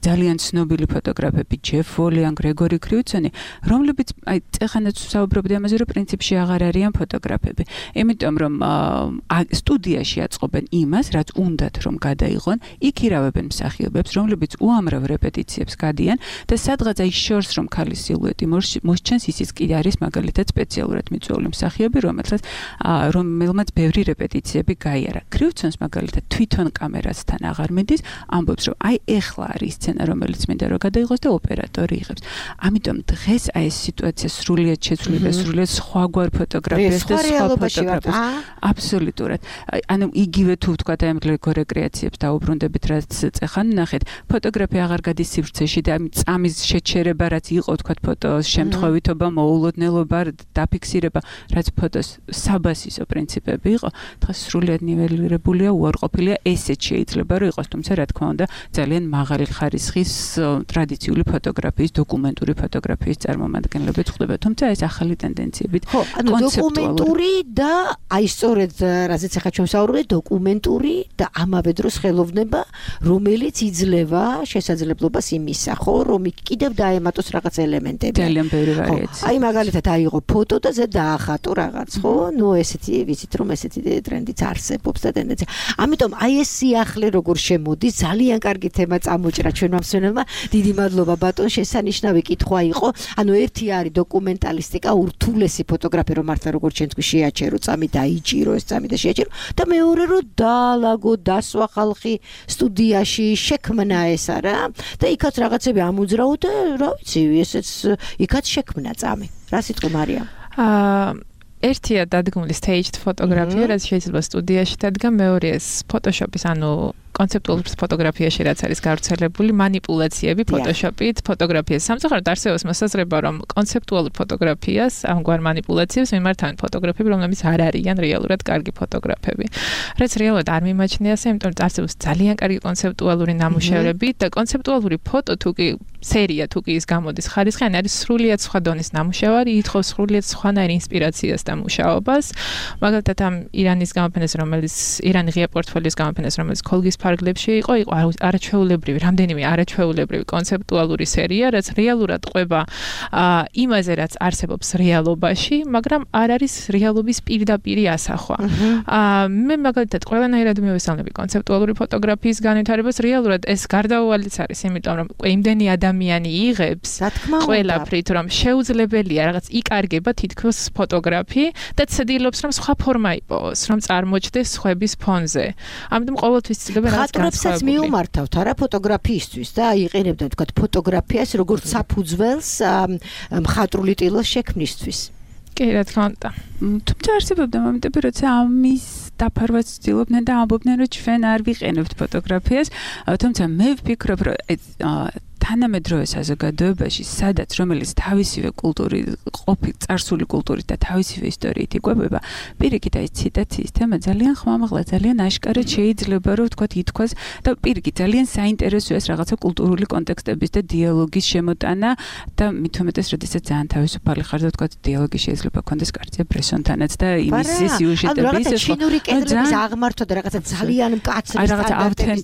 ძალიან ცნობილი ფოტოგრაფები, ჯეფ ვოლი ან გრეგორი კრიუცონი, რომლებიც აი წეხანაც საუბრობდი ამაზე, რომ პრინციპში აღარ არიან ფოტოგრაფები. იმიტომ რომ სტუდიაში აწყობენ იმას, რაც უნდათ რომ გადაიღონ, იქ ირავებენ მსახიობებს, რომლებიც უამრავ რეპეტიციებს გადიან და სადღაც აი შორს რომ ქალის სილუეტი მოსჩენს, ისიც კი არის მაგალითად სპეციალურად მიწვეული მსახიობი, რომელსაც რომელმაც ბევრი რეპეტიციები გაიარა. კრიუცონს მაგალითად თვითონ კამერასთან აღარ მიდის, ამბობს რომ აი ეხლა არის სცენა, რომელიც მინდა რომ გადაიღოს და ოპერატორი იღებს. ამიტომ დღეს აი ეს სიტუაცია სრულიად შეცვლილი და სრულიად სხვაგვარ ფოტოგრაფიას და სხვა ფოტოგრაფიას. აბსოლუტურად. ანუ იგივე თუ ვთქვათ აი ამ გორეკრეაციებს დაუბრუნდებით, რაც წეხან ნახეთ, ფოტოგრაფია აღარ გადის სივრცეში და ამ წამის შეჩერება, რაც იყო ვთქვათ ფოტოს შემთხვევითობა, მოულოდნელობა, დაფიქსირება, რაც ფოტოს საბასისო პრინციპები იყო, დღეს სრულიად ნიველირებულია, უარყოფილია, ესეც შეიძლება რომ იყოს, თუმცა რა თქმა უნდა, ძალიან მაღალი ხარისხის ტრადიციული ფოტოგრაფიის, დოკუმენტური ფოტოგრაფიის წარმომადგენლები ხდება, თუმცა ეს ახალი ტენდენციებით ხო, ანუ დოკუმენტური და აი სწორედ რაზეც ახლა ჩვენ ვსაუბრობთ, დოკუმენტური და ამავე დროს ხელოვნება, რომელიც იძლევა შესაძლებლობას იმისა, ხო, რომ იქ კიდევ დაემატოს რაღაც ელემენტები. ძალიან ბევრი ვარიაცია. აი მაგალითად აიღო ფოტო და ზე დაახატო რაღაც, ხო? ნუ ესეთი ვიცით რომ ესეთი ტრენდიც არსებობს და ტენდენცია. ამიტომ აი ეს სიახლე როგორ შემოდის, ძალიან კარგი თემა წამოჭრა ჩვენმა მსმენელმა. დიდი მადლობა ბატონ, შესანიშნავი კითხვა იყო. ანუ ერთი არის დოკუმენტალისტიკა, ურთულესი ფოტოგრაფია, რომ მართლა როგორც ჩვენ თქვი შეაჩერო, წამი დაიჭირო, ეს წამი და შეაჩერო. და მეორე რომ დაალაგო, დასვა ხალხი სტუდიაში, შექმნა ეს არა და იქაც რაღაცები ამოძრაო და რა ვიცი, ესეც იქაც შექმნა წამი. რა სიტყვა მარიამ? აა ერთია დადგმული staged ფოტოგრაფია, რაც შეიძლება სტუდიაში დადგა, მეორეა ფოტოშოპის, ანუ კონცეპტუალური ფოტოგრაფიაში რაც არის გავრცელებული, манипуляციები ფოტოშოპით, ფოტოგრაფიას. სამწუხაროდ არსებობს მოსაზრება, რომ კონცეპტუალურ ფოტოგრაფიას, ამგვარ манипуляციებს მიმართავენ ფოტოგრაფები, რომლებიც არ არიან რეალურად კარგი ფოტოგრაფები. რაც რეალურად არ მიმაჩნია ასე, იმიტომ რომ არსებობს ძალიან კარგი კონცეპტუალური ნამუშევრები და კონცეპტუალური ფოტო თუ კი სერია თუ კი ის გამოდის ხარისხიანი, არის სრულიად სხვა დონის ნამუშევარი, ითხოვს სრულიად სხვანაირ ინსპირაციას და მუშაობას. მაგალითად ამ ირანის გამოფენას, რომელიც ირანი ღია პორტფოლიოს გამოფენას, რომელიც ქოლგის ფარგლებში იყო, იყო არაჩვეულებრივი, რამდენიმე არაჩვეულებრივი კონცეპტუალური სერია, რაც რეალურად ყვება იმაზე, რაც არსებობს რეალობაში, მაგრამ არ არის რეალობის პირდაპირი ასახვა. მე მაგალითად ყველანაირად მივესალმები კონცეპტუალური ფოტოგრაფიის განვითარებას, რეალურად ეს გარდაუვალიც არის, იმიტომ რომ იმდენი ადამიანი იღებს ყველაფრით, რომ შეუძლებელია რაღაც იკარგება თითქოს ფოტოგრაფი და ცდილობს, რომ სხვა ფორმა იპოვოს, რომ წარმოჩნდეს სხვების ფონზე. ამიტომ ყოველთვის ცდილობენ რაღაც განსხვავებული. ხატრებსაც მიუმართავთ არა ფოტოგრაფიისთვის და იყენებდნენ თქვათ ფოტოგრაფიას როგორც საფუძველს მხატვრული ტილოს შექმნისთვის. კი, რა თქმა უნდა. თუმცა არსებობდა მომენტები, როცა ამის დაფარვაც ვცდილობდნენ და ამბობდნენ, რომ ჩვენ არ ვიყენებთ ფოტოგრაფიას, თუმცა მე ვფიქრობ, რომ თანამედროვე საზოგადოებაში, სადაც რომელიც თავისივე კულტური, ყოფილი წარსული კულტურით და თავისივე ისტორიით იკვებება, პირიქით აი ციტაციის თემა ძალიან ხმამაღლა, ძალიან აშკარად შეიძლება რომ ვთქვათ ითქვას და პირიქით ძალიან საინტერესოა ეს რაღაცა კულტურული კონტექსტების და დიალოგის შემოტანა და მით უმეტეს, როდესაც ძალიან თავისუფალი ხარ და ვთქვათ დიალოგი შეიძლება გქონდეს კარცია ბრესონთანაც და იმის სიუჟეტების ეს ჩინური კედლების აღმართვა და რაღაცა ძალიან მკაცრი სტანდარტების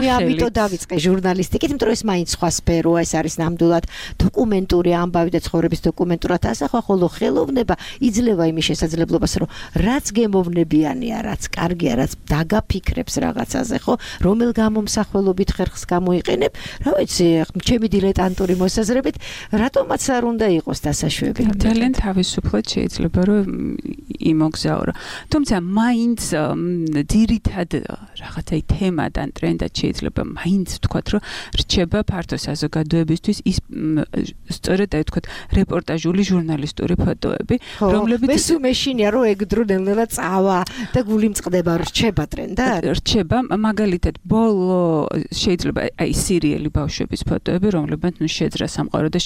მე ამიტომ დავიწყე ჟურნალისტიკით, იმიტომ რომ ეს მაინც სხვა სფეროა, ეს არის ნამდვილად დოკუმენტური ამბავი და ცხოვრების დოკუმენტურად ასახვა, ხოლო ხელოვნება იძლევა იმის შესაძლებლობას, რომ რაც გემოვნებიანია, რაც კარგია, რაც დაგაფიქრებს რაღაცაზე, ხო, რომელ გამომსახველობით ხერხს გამოიყენებ, რა ვიცი, ჩემი დილეტანტური მოსაზრებით, რატომაც არ უნდა იყოს დასაშვები. ძალიან თავისუფლად შეიძლება რომ იმოგზაურო. თუმცა მაინც ძირითად რაღაცა თემად ან ტრენდად შეიძლება მაინც ვთქვათ, რომ რჩება ფართო საზოგადოებისთვის ის სწორედ აი ვთქვათ რეპორტაჟული ჟურნალისტური ფოტოები, რომლებიც მე სულ მეშინია რომ ეგდრო ნელ-ნელა წავა და გული მწყდება, რჩება ტრენდად. რჩება, მაგალითად ბოლო შეიძლება აი სერიალი ბავშვების ფოტოები, რომლებიც ნუ შეძრა სამყარო და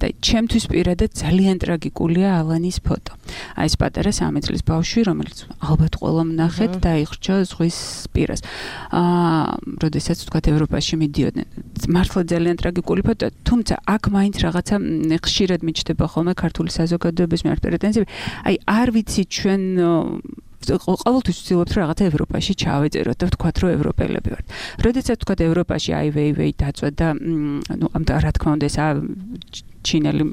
და ჩემთვის პირადად ძალიან ტრაგიკულია ალანის ფოტო. აი ეს პატარა სამი წლის ბავშვი, რომელიც ალბათ ყველამ ნახეთ და იხრჩა ზღვის პირას. აა, როდესაც ვთქვათ ევროპაში მიდიოდნენ. მართლა ძალიან ტრაგიკული ფოტოა, თუმცა აქ მაინც რაღაცა ხშირად მიჩნდება ხოლმე ქართული საზოგადოების მიერ პრეტენზიები. აი არ ვიცი ჩვენ ყოველთვის ვცდილობთ რომ რაღაცა ევროპაში ჩავეწეროთ და ვთქვათ რომ ევროპელები ვართ. როდესაც ვთქვათ ევროპაში აი ვეი ვეი დაწვა და ნუ ამ რა თქმა უნდა ეს ჩინელი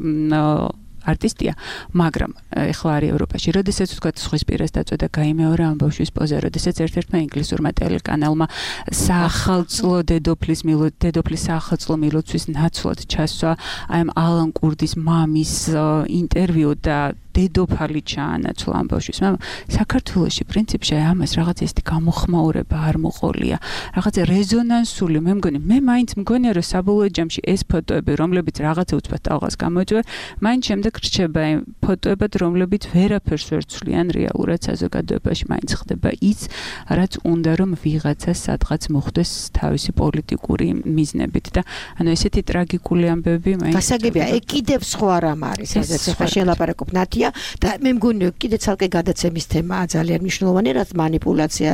არტისტია, მაგრამ ეხლა არის ევროპაში. როდესაც ვთქვათ ზღვის პირას დაწვა და გაიმეორა ამ ბავშვის პოზა, როდესაც ერთ-ერთმა ინგლისურმა ტელეკანალმა საახალწლო დედოფლის მილოც დედოფლის საახალწლო მილოცვის ნაცვლად ჩასვა აი ამ ალან კურდის მამის ინტერვიუ და დედოფალი ჩაანაცვლა ამ ბავშვის. მაგრამ საქართველოში პრინციპში ამას რაღაც ისეთი გამოხმაურება არ მოყოლია. რაღაცა რეზონანსული, მე მგონი, მე მაინც მგონია რომ საბოლოო ჯამში ეს ფოტოები, რომლებიც რაღაცა უცბად ტალღას გამოიწვია, მაინც შემდეგ რჩება იმ ფოტოებად, რომლებიც ვერაფერს ვერ ცვლიან რეალურად საზოგადოებაში, მაინც ხდება ის, რაც უნდა რომ ვიღაცას სადღაც მოხვდეს თავისი პოლიტიკური მიზნებით და ანუ ესეთი ტრაგიკული ამბები მაინც გასაგებია, ეგ კიდევ სხვა რამ არის, სადაც ახლა შელაპარაკობ ნათია და მე მგონი კიდე ცალკე გადაცემის თემაა ძალიან მნიშვნელოვანი, რაც манипуляცია,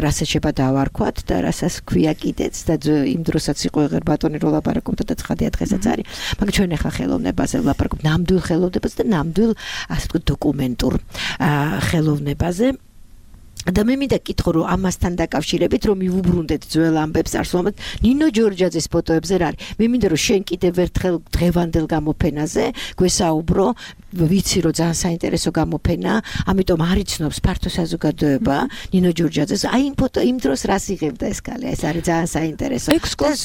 რასაც შეიძლება დავარქვათ და რასაც ქვია კიდეც და იმ დროსაც იყო ეგერ ბატონი რო ლაპარაკობდა და ცხადია დღესაც არის. მაგრამ ჩვენ ახლა ხელოვნებაზე ვლაპარაკობთ, ნამდვილ ხელოვნებაზე და ნამდვილ ასე ვთქვათ დოკუმენტურ ხელოვნებაზე. და მე მინდა კითხო რომ ამასთან დაკავშირებით რომ მივუბრუნდეთ ძველ ამბებს არსულობად ნინო ჯორჯაძის ფოტოებზე რა არის. მე მინდა რომ შენ კიდევ ერთხელ დღევანდელ გამოფენაზე გვესაუბრო, ვიცი რომ ძალიან საინტერესო გამოფენა, ამიტომ არიცნობს ფართო საზოგადოება ნინო ჯორჯაძეს. აი იმ ფოტო იმ დროს რას იღებდა ეს კალე, ეს არის ძალიან საინტერესო.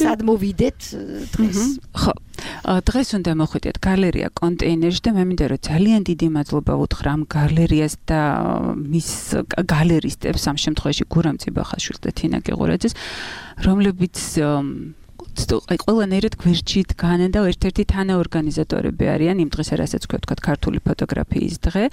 სად მოვიდეთ დღეს? ხო, დღეს უნდა მოხვიდეთ გალერეა კონტეინერში და მე მინდა რომ ძალიან დიდი მადლობა უთხრა ამ გალერეას და მის გალერისტებს, ამ შემთხვევაში გურამ ციბახაშვილს და თინა გეღურაძეს, რომლებიც აი ყველანაირად გვერდში დგანენ და ერთ-ერთი თანაორგანიზატორები არიან იმ დღეს, რასაც ვთქვათ ქართული ფოტოგრაფიის დღე,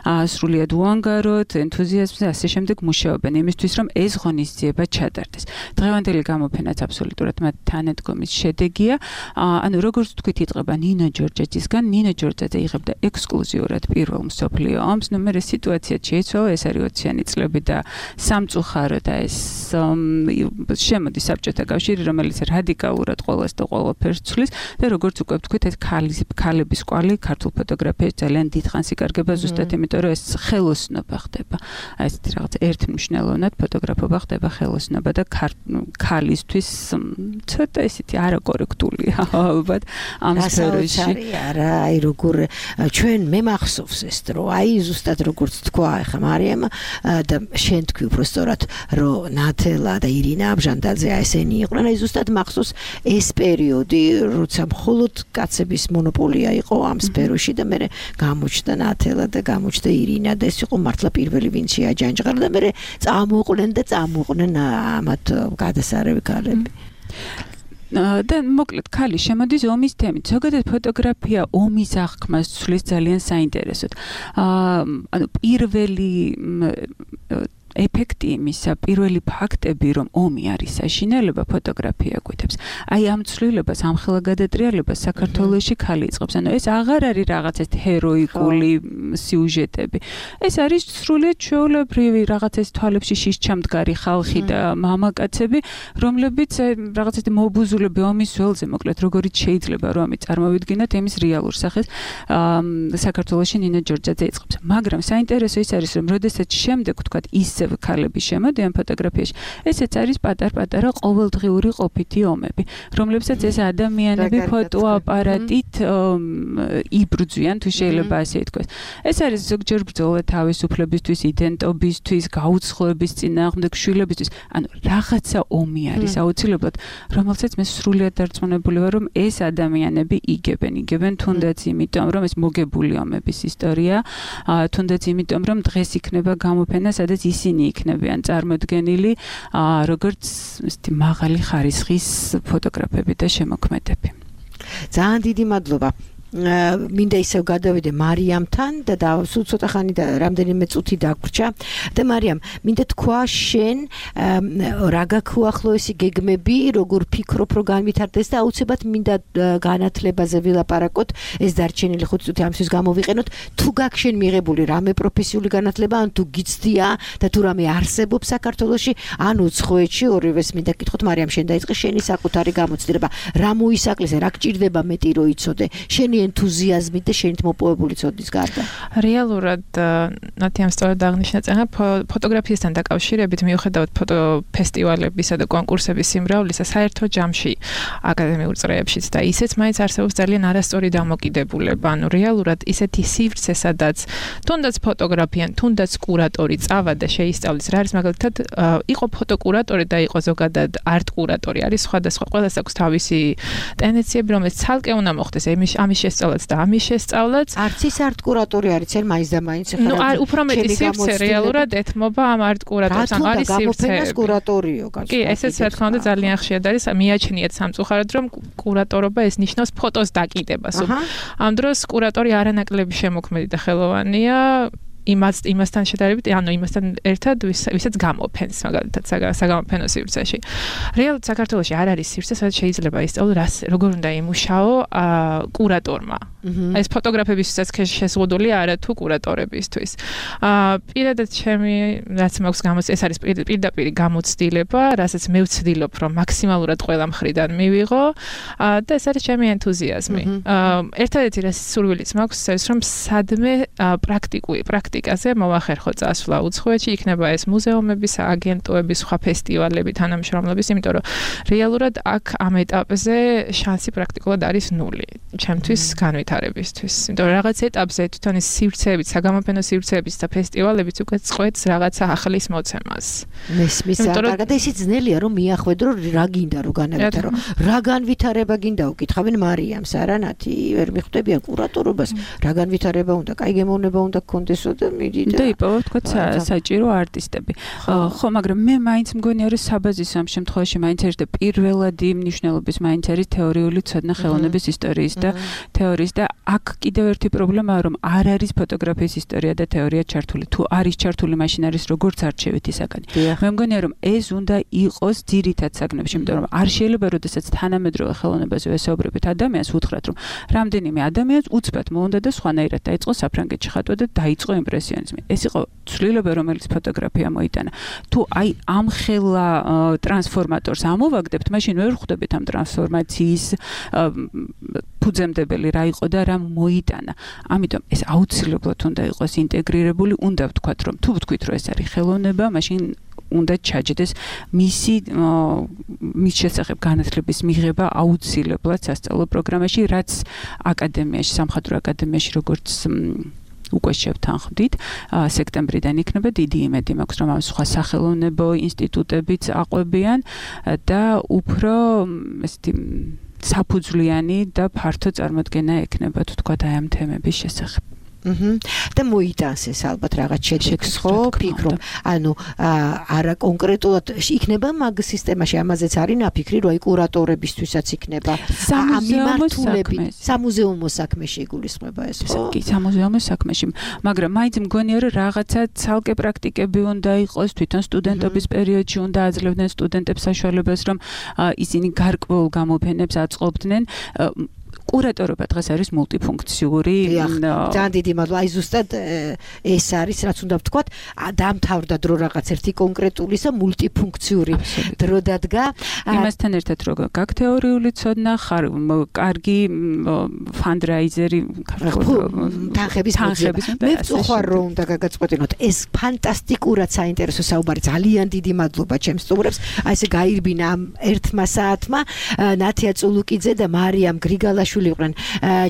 სრულიად უანგაროდ, ენთუზიაზმზე ასე შემდეგ მუშაობენ იმისთვის, რომ ეს ღონისძიება ჩატარდეს. დღევანდელი გამოფენაც აბსოლუტურად მათ თანადგომის შედეგია. ანუ როგორც ვთქვით, იწყება ნინო ჯორჯაძისგან, ნინო ჯორჯაძე იღებდა ექსკლუზიურად პირველ მსოფლიო ომს, ნუ მერე სიტუაცია შეიცვალა, ეს არის ოციანი წლები და სამწუხარო და ეს შემოდის საბჭოთა კავშირი, რომელიც რადიკალურად ყველას და ყველაფერს ცვლის და როგორც უკვე ვთქვით, ეს ქალების კვალი ქართულ ფოტოგრაფიაში ძალიან დიდხანს იკარგება ზუსტად იმიტომ, რომ ეს ხელოსნობა ხდება. აი ესეთი რაღაც ერთმნიშვნელოვნად ფოტოგრაფობა ხდება ხელოსნობა და ქალისთვის ცოტა ისეთი არაკორექტულია ალბათ ამ სფეროში. არა, აი როგორ ჩვენ მე მახსოვს ეს დრო, აი ზუსტად როგორც თქვა ახლა მარიამ და შენ თქვი უბრალოდ რომ ნათელა და ირინა აბჟანდაძე ესენი იყვნენ, აი ზუსტად მახსოვს ეს პერიოდი, როცა მხოლოდ კაცების მონოპოლია იყო ამ სფეროში და მე გამოჩნდა ნათელა და გამოჩნდა ირინა და ეს იყო მართლა პირველი ვინც შეაჯანჯღარა და მე წამოყვნენ და წამოყვნენ ამათ გადასარევი ქალები. და მოკლედ ქალი შემოდის ომის თემით. ზოგადად ფოტოგრაფია ომის აღქმას ცვლის ძალიან საინტერესოდ. ანუ პირველი ეფექტი იმისა, პირველი ფაქტები, რომ ომი არის საშინელება, ფოტოგრაფია გვეთებს. აი ამ ცვლილებას, ამ ხელგადატრიალებას საქართველოში ქალი იწყებს. ანუ ეს აღარ არის რაღაც ეს ჰეროიკული სიუჟეტები. ეს არის სრულიად ჩვეულებრივი რაღაც ეს თვალებში შიშჩამდგარი ხალხი და მამაკაცები, რომლებიც რაღაც ეს მობუზულები ომის ველზე, მოკლედ როგორიც შეიძლება რომ ამი წარმოვიდგინოთ იმის რეალურ სახეს საქართველოში ნინო ჯორჯაძე იწყებს. მაგრამ საინტერესო ის არის, რომ როდესაც შემდეგ თქვათ ის ქალები შემოდიან ფოტოგრაფიაში. ესეც არის პატარ-პატარა ყოველდღიური ყოფითი ომები, რომლებსაც ეს ადამიანები ფოტოაპარატით იბრძვიან, თუ შეიძლება ასე ითქვას. ეს არის ზოგჯერ ბრძოლა თავისუფლებისთვის, იდენტობისთვის, გაუცხოების წინააღმდეგ, შვილებისთვის. ანუ რაღაცა ომი არის აუცილებლად, რომელსაც მე სრულიად დარწმუნებული ვარ, რომ ეს ადამიანები იგებენ, იგებენ თუნდაც იმიტომ, რომ ეს მოგებული ომების ისტორია, თუნდაც იმიტომ, რომ დღეს იქნება გამოფენა, სადაც ისინი იქნებიან წარმოდგენილი როგორც მაღალი ხარისხის ფოტოგრაფები და შემოქმედები. ძალიან დიდი მადლობა. მინდა ისევ გადავიდე მარიამთან და სულ ცოტა ხანი და რამდენიმე წუთი დაგვრჩა და მარიამ მინდა თქვა შენ რა გაქვთ ახლა ესი გეგმები როგორ ფიქრობ რომ განვითარდეს და აუცილებლად მინდა განათლებაზე ვილაპარაკოთ ეს დარჩენილი ხუთი წუთი ამისთვის გამოვიყენოთ თუ გაქვს შენ მიღებული რამე პროფესიული განათლება ან თუ გიცდია და თუ რამე არსებობს საქართველოში ან უცხოეთში ორივეს მინდა გითხოთ მარიამ შენ დაიწყე შენი საკუთარი გამოცდილება რა მოისაკლეს რა გჭირდება მეტი რო იცოდე შენი ენთუზიაზმით და შენით მოპოვებული ცოდნის გარდა. რეალურად ნათიამ სწორად აღნიშნა წენა ფოტოგრაფიასთან დაკავშირებით მიუხედავად ფოტოფესტივალებისა და კონკურსების სიმრავლისა საერთო ჯამში აკადემიურ წრეებშიც და ისეც მაინც არსებობს ძალიან არასწორი დამოკიდებულება. ანუ რეალურად ისეთი სივრცე სადაც თუნდაც ფოტოგრაფიან, თუნდაც კურატორი წავა და შეისწავლის რა არის მაგალითად იყო ფოტოკურატორი და იყო ზოგადად არტ კურატორი არის სხვადასხვა ყველას აქვს თავისი ტენდენციები რომელიც ცალკე უნდა მოხდეს ამის ამის შესწავლაც და ამის შესწავლაც არც ის არტ კურატორი არის ცენ მაინც და მაინც ხარ ნუ უფრო მეტი სივრცე რეალურად ეთმობა ამ არტ კურატორს ან არის სივრცე კურატორიო კი ესეც რა თქმა უნდა ძალიან ხშირად არის მიაჩნიათ სამწუხაროდ რომ კურატორობა ეს ნიშნავს ფოტოს დაკიდებას ამ დროს კურატორი არანაკლები შემოქმედი და ხელოვანია იმას იმასთან შედარებით, ანუ იმასთან ერთად ვისაც გამოფენს, მაგალითად საგამოფენო სივრცეში. რეალურად საქართველოში არ არის სივრცე, სადაც შეიძლება ისწავლო რას როგორ უნდა იმუშაო კურატორმა. ეს ფოტოგრაფებისთვისაც შეზღუდულია არა თუ კურატორებისთვის. პირადად ჩემი რაც მაქვს გამოც ეს არის პირდაპირ გამოცდილება, რასაც მე ვცდილობ რომ მაქსიმალურად ყველა მხრიდან მივიღო და ეს არის ჩემი ენთუზიაზმი. ერთადერთი რაც სურვილიც მაქვს ეს რომ სადმე პრაქტიკული პრაქტიკაზე მოვახერხო წასვლა უცხოეთში, იქნება ეს მუზეუმები, სააგენტოები, სხვა ფესტივალები, თანამშრომლობის, იმიტომ რომ რეალურად აქ ამ ეტაპზე შანსი პრაქტიკულად არის ნული. ჩემთვის განვითარებისთვის. იმიტომ რომ რაღაც ეტაპზე თვითონ ეს სივრცეებით, საგამოფენო სივრცეებით და ფესტივალებით უკვე წყვეტს რაღაცა ახლის მოცემას. მესმის კარგად და ისიც ძნელია რომ მიახვედრო რა გინდა რომ განავითარო. რა განვითარება გინდა უკითხავენ მარიამს, არა ნათი, ვერ მიხვდებიან კურატორობას. რა განვითარება უნდა, კაი გემოვნება უნდა გქონდესო და მიდი და და იპოვო თქვათ საჭირო არტისტები. ხო, მაგრამ მე მაინც მგონია რომ საბაზისო ამ შემთხვევაში მაინც არის და პირველადი მნიშვნელობის მაინც არის თეორიული ცოდნა ხელოვნების ისტორიის და თეორიის და აქ კიდევ ერთი პრობლემაა რომ არ არის ფოტოგრაფიის ისტორია და თეორია ჩართული. თუ არის ჩართული, მაშინ არის როგორც არჩევითი საკანი. მე მგონია რომ ეს უნდა იყოს ძირითად საგნებში, იმიტომ რომ არ შეიძლება როდესაც თანამედროვე ხელოვნებაზე ვესაუბრებით ადამიანს უთხრათ რომ რამდენიმე ადამიანს უცბად მოუნდა და სხვანაირად დაიწყო საფრანგეთში ხატვა და დაიწყო იმპრესიონიზმი. ეს იყო ცვლილება რომელიც ფოტოგრაფია მოიტანა. თუ აი ამ ხელა ტრანსფორმატორს ამოვაგდებთ, მაშინ ვერ ხვდებით ამ ტრანსფორმაციის ფუძემდებელი რა იყო და რა მოიტანა. ამიტომ ეს აუცილებლად უნდა იყოს ინტეგრირებული, უნდა ვთქვათ რომ თუ ვთქვით რომ ეს არის ხელოვნება, მაშინ უნდა ჩაჯდეს მისი მის შესახებ განათლების მიღება აუცილებლად სასწავლო პროგრამაში, რაც აკადემიაში, სამხატვრო აკადემიაში როგორც უკვე შევთანხმდით, სექტემბრიდან იქნება დიდი იმედი მაქვს, რომ ამ სხვა სახელოვნებო ინსტიტუტებიც აყვებიან და უფრო ესეთი საფუძვლიანი და ფართო წარმოდგენა ექნება, თუ თქვა აი ამ თემების შესახებ. აჰა. და მოიტანს ეს ალბათ რაღაც შედეგს ხო? ფიქრობ. ანუ არა კონკრეტულად იქნება მაგ სისტემაში ამაზეც არის ნაფიქრი, რომ აი კურატორებისთვისაც იქნება ამ მიმართულებით სამუზეუმო საქმეში იგულისხმება ეს ხო? კი, სამუზეუმო საქმეში. მაგრამ მაინც მგონია რომ რაღაცა ცალკე პრაქტიკები უნდა იყოს თვითონ სტუდენტობის პერიოდში უნდა აძლევდნენ სტუდენტებს საშუალებას რომ ისინი გარკვეულ გამოფენებს აწყობდნენ. კურატორობა დღეს არის მულტიფუნქციური. ძალიან დიდი მადლობა. აი ზუსტად ეს არის, რაც უნდა ვთქვათ, დამთავრდა დრო რაღაც ერთი კონკრეტულისა მულტიფუნქციური დრო დადგა. იმასთან ერთად რომ გაქვს თეორიული ცოდნა, ხარ კარგი ფანდრაიზერი, თანხების მოძიება. მე ვწუხარ რომ უნდა გაგაწყვეტინოთ. ეს ფანტასტიკურად საინტერესო საუბარი. ძალიან დიდი მადლობა ჩემს სტუმრებს. აი ესე გაირბინა ამ ერთმა საათმა ნათია წულუკიძე და მარიამ გრიგალაშვილი იყვნენ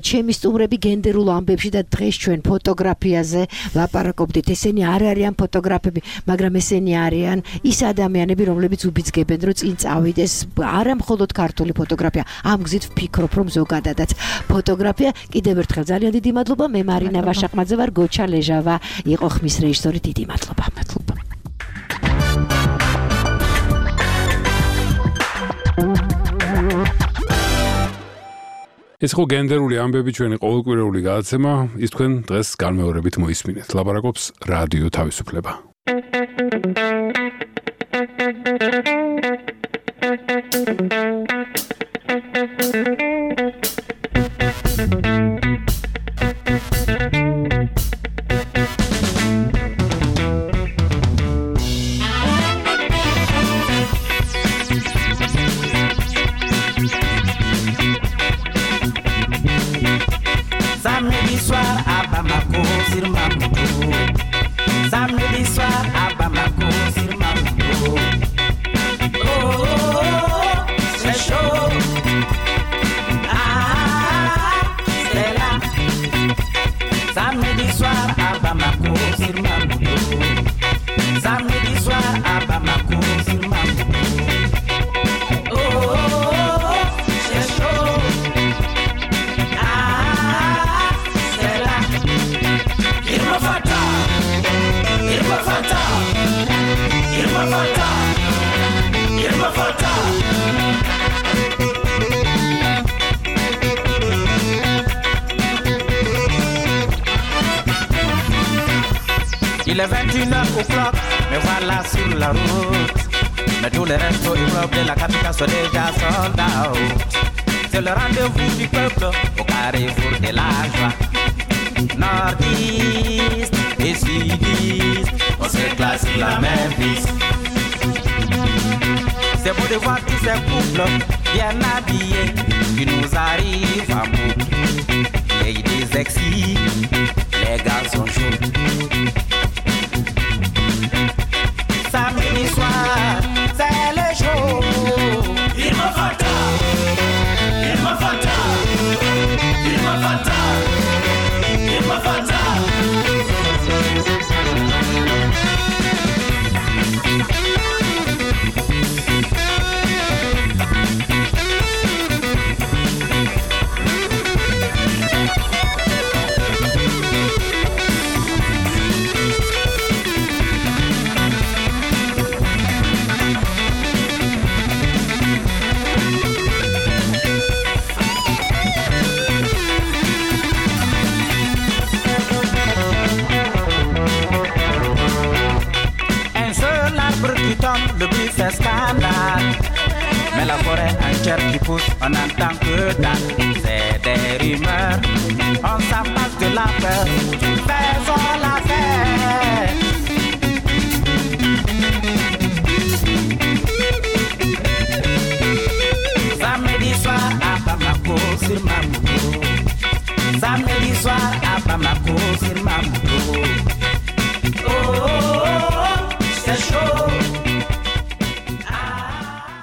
ჩემი სტუმრები გენდერულ ამბებში და დღეს ჩვენ ფოტოგრაფიაზე ლაპარაკობდით. ესენი არ არიან ფოტოგრაფები, მაგრამ ესენი არიან ის ადამიანები, რომლებიც უბიძგებენ, რომ წინ წავიდეს არა მხოლოდ ქართული ფოტოგრაფია. ამ გზით ვფიქრობ, რომ ზოგადადაც ფოტოგრაფია. კიდევ ერთხელ ძალიან დიდი მადლობა. მე მარინა ვაშაყმაძე ვარ, გოჩა ლეჟავა იყო ხმის რეჟისორი. დიდი მადლობა. მადლობა. ეს ხო გენდერული ამბები ჩვენი ყოველკვირეული გადაცემა, ის თქვენ დღეს განმეორებით მოისმინეთ. ლაპარაკობს რადიო თავისუფლება. Samedi soir à Bamako sur Mamoudou. Samedi soir à Bamako sur Mamoudou. Oh, oh, oh, c'est chaud. Ah, c'est là. Samedi soir à Bamako sur Mamoudou. Samedi soir à Bamako sur Mamoudou. Oh, oh, oh, c'est chaud. Il est vingt et une heures o'clock, me voilà sur la route. Mais tous les restos immeubles de la capitale sont déjà sold out. C'est le rendez-vous du peuple au carrefour de la joie. Nordiste et sudiste, on s'éclate sur la même piste. C'est beau de voir tous ces couples bien habillés qui nous arrivent à bout. Ladies sexy, les garçons chauds. Samedi soir, c'est le jour. Il me fata, il me fata, il me fata, il me fata. Le bruit fait scandale. Mais la forêt entière qui pousse, on n'entend que dalle. C'est des rumeurs, on s'apasse de la peur. Faisons la fête. Samedi soir à Bamako sur Mamoudou. Samedi soir à Bamako sur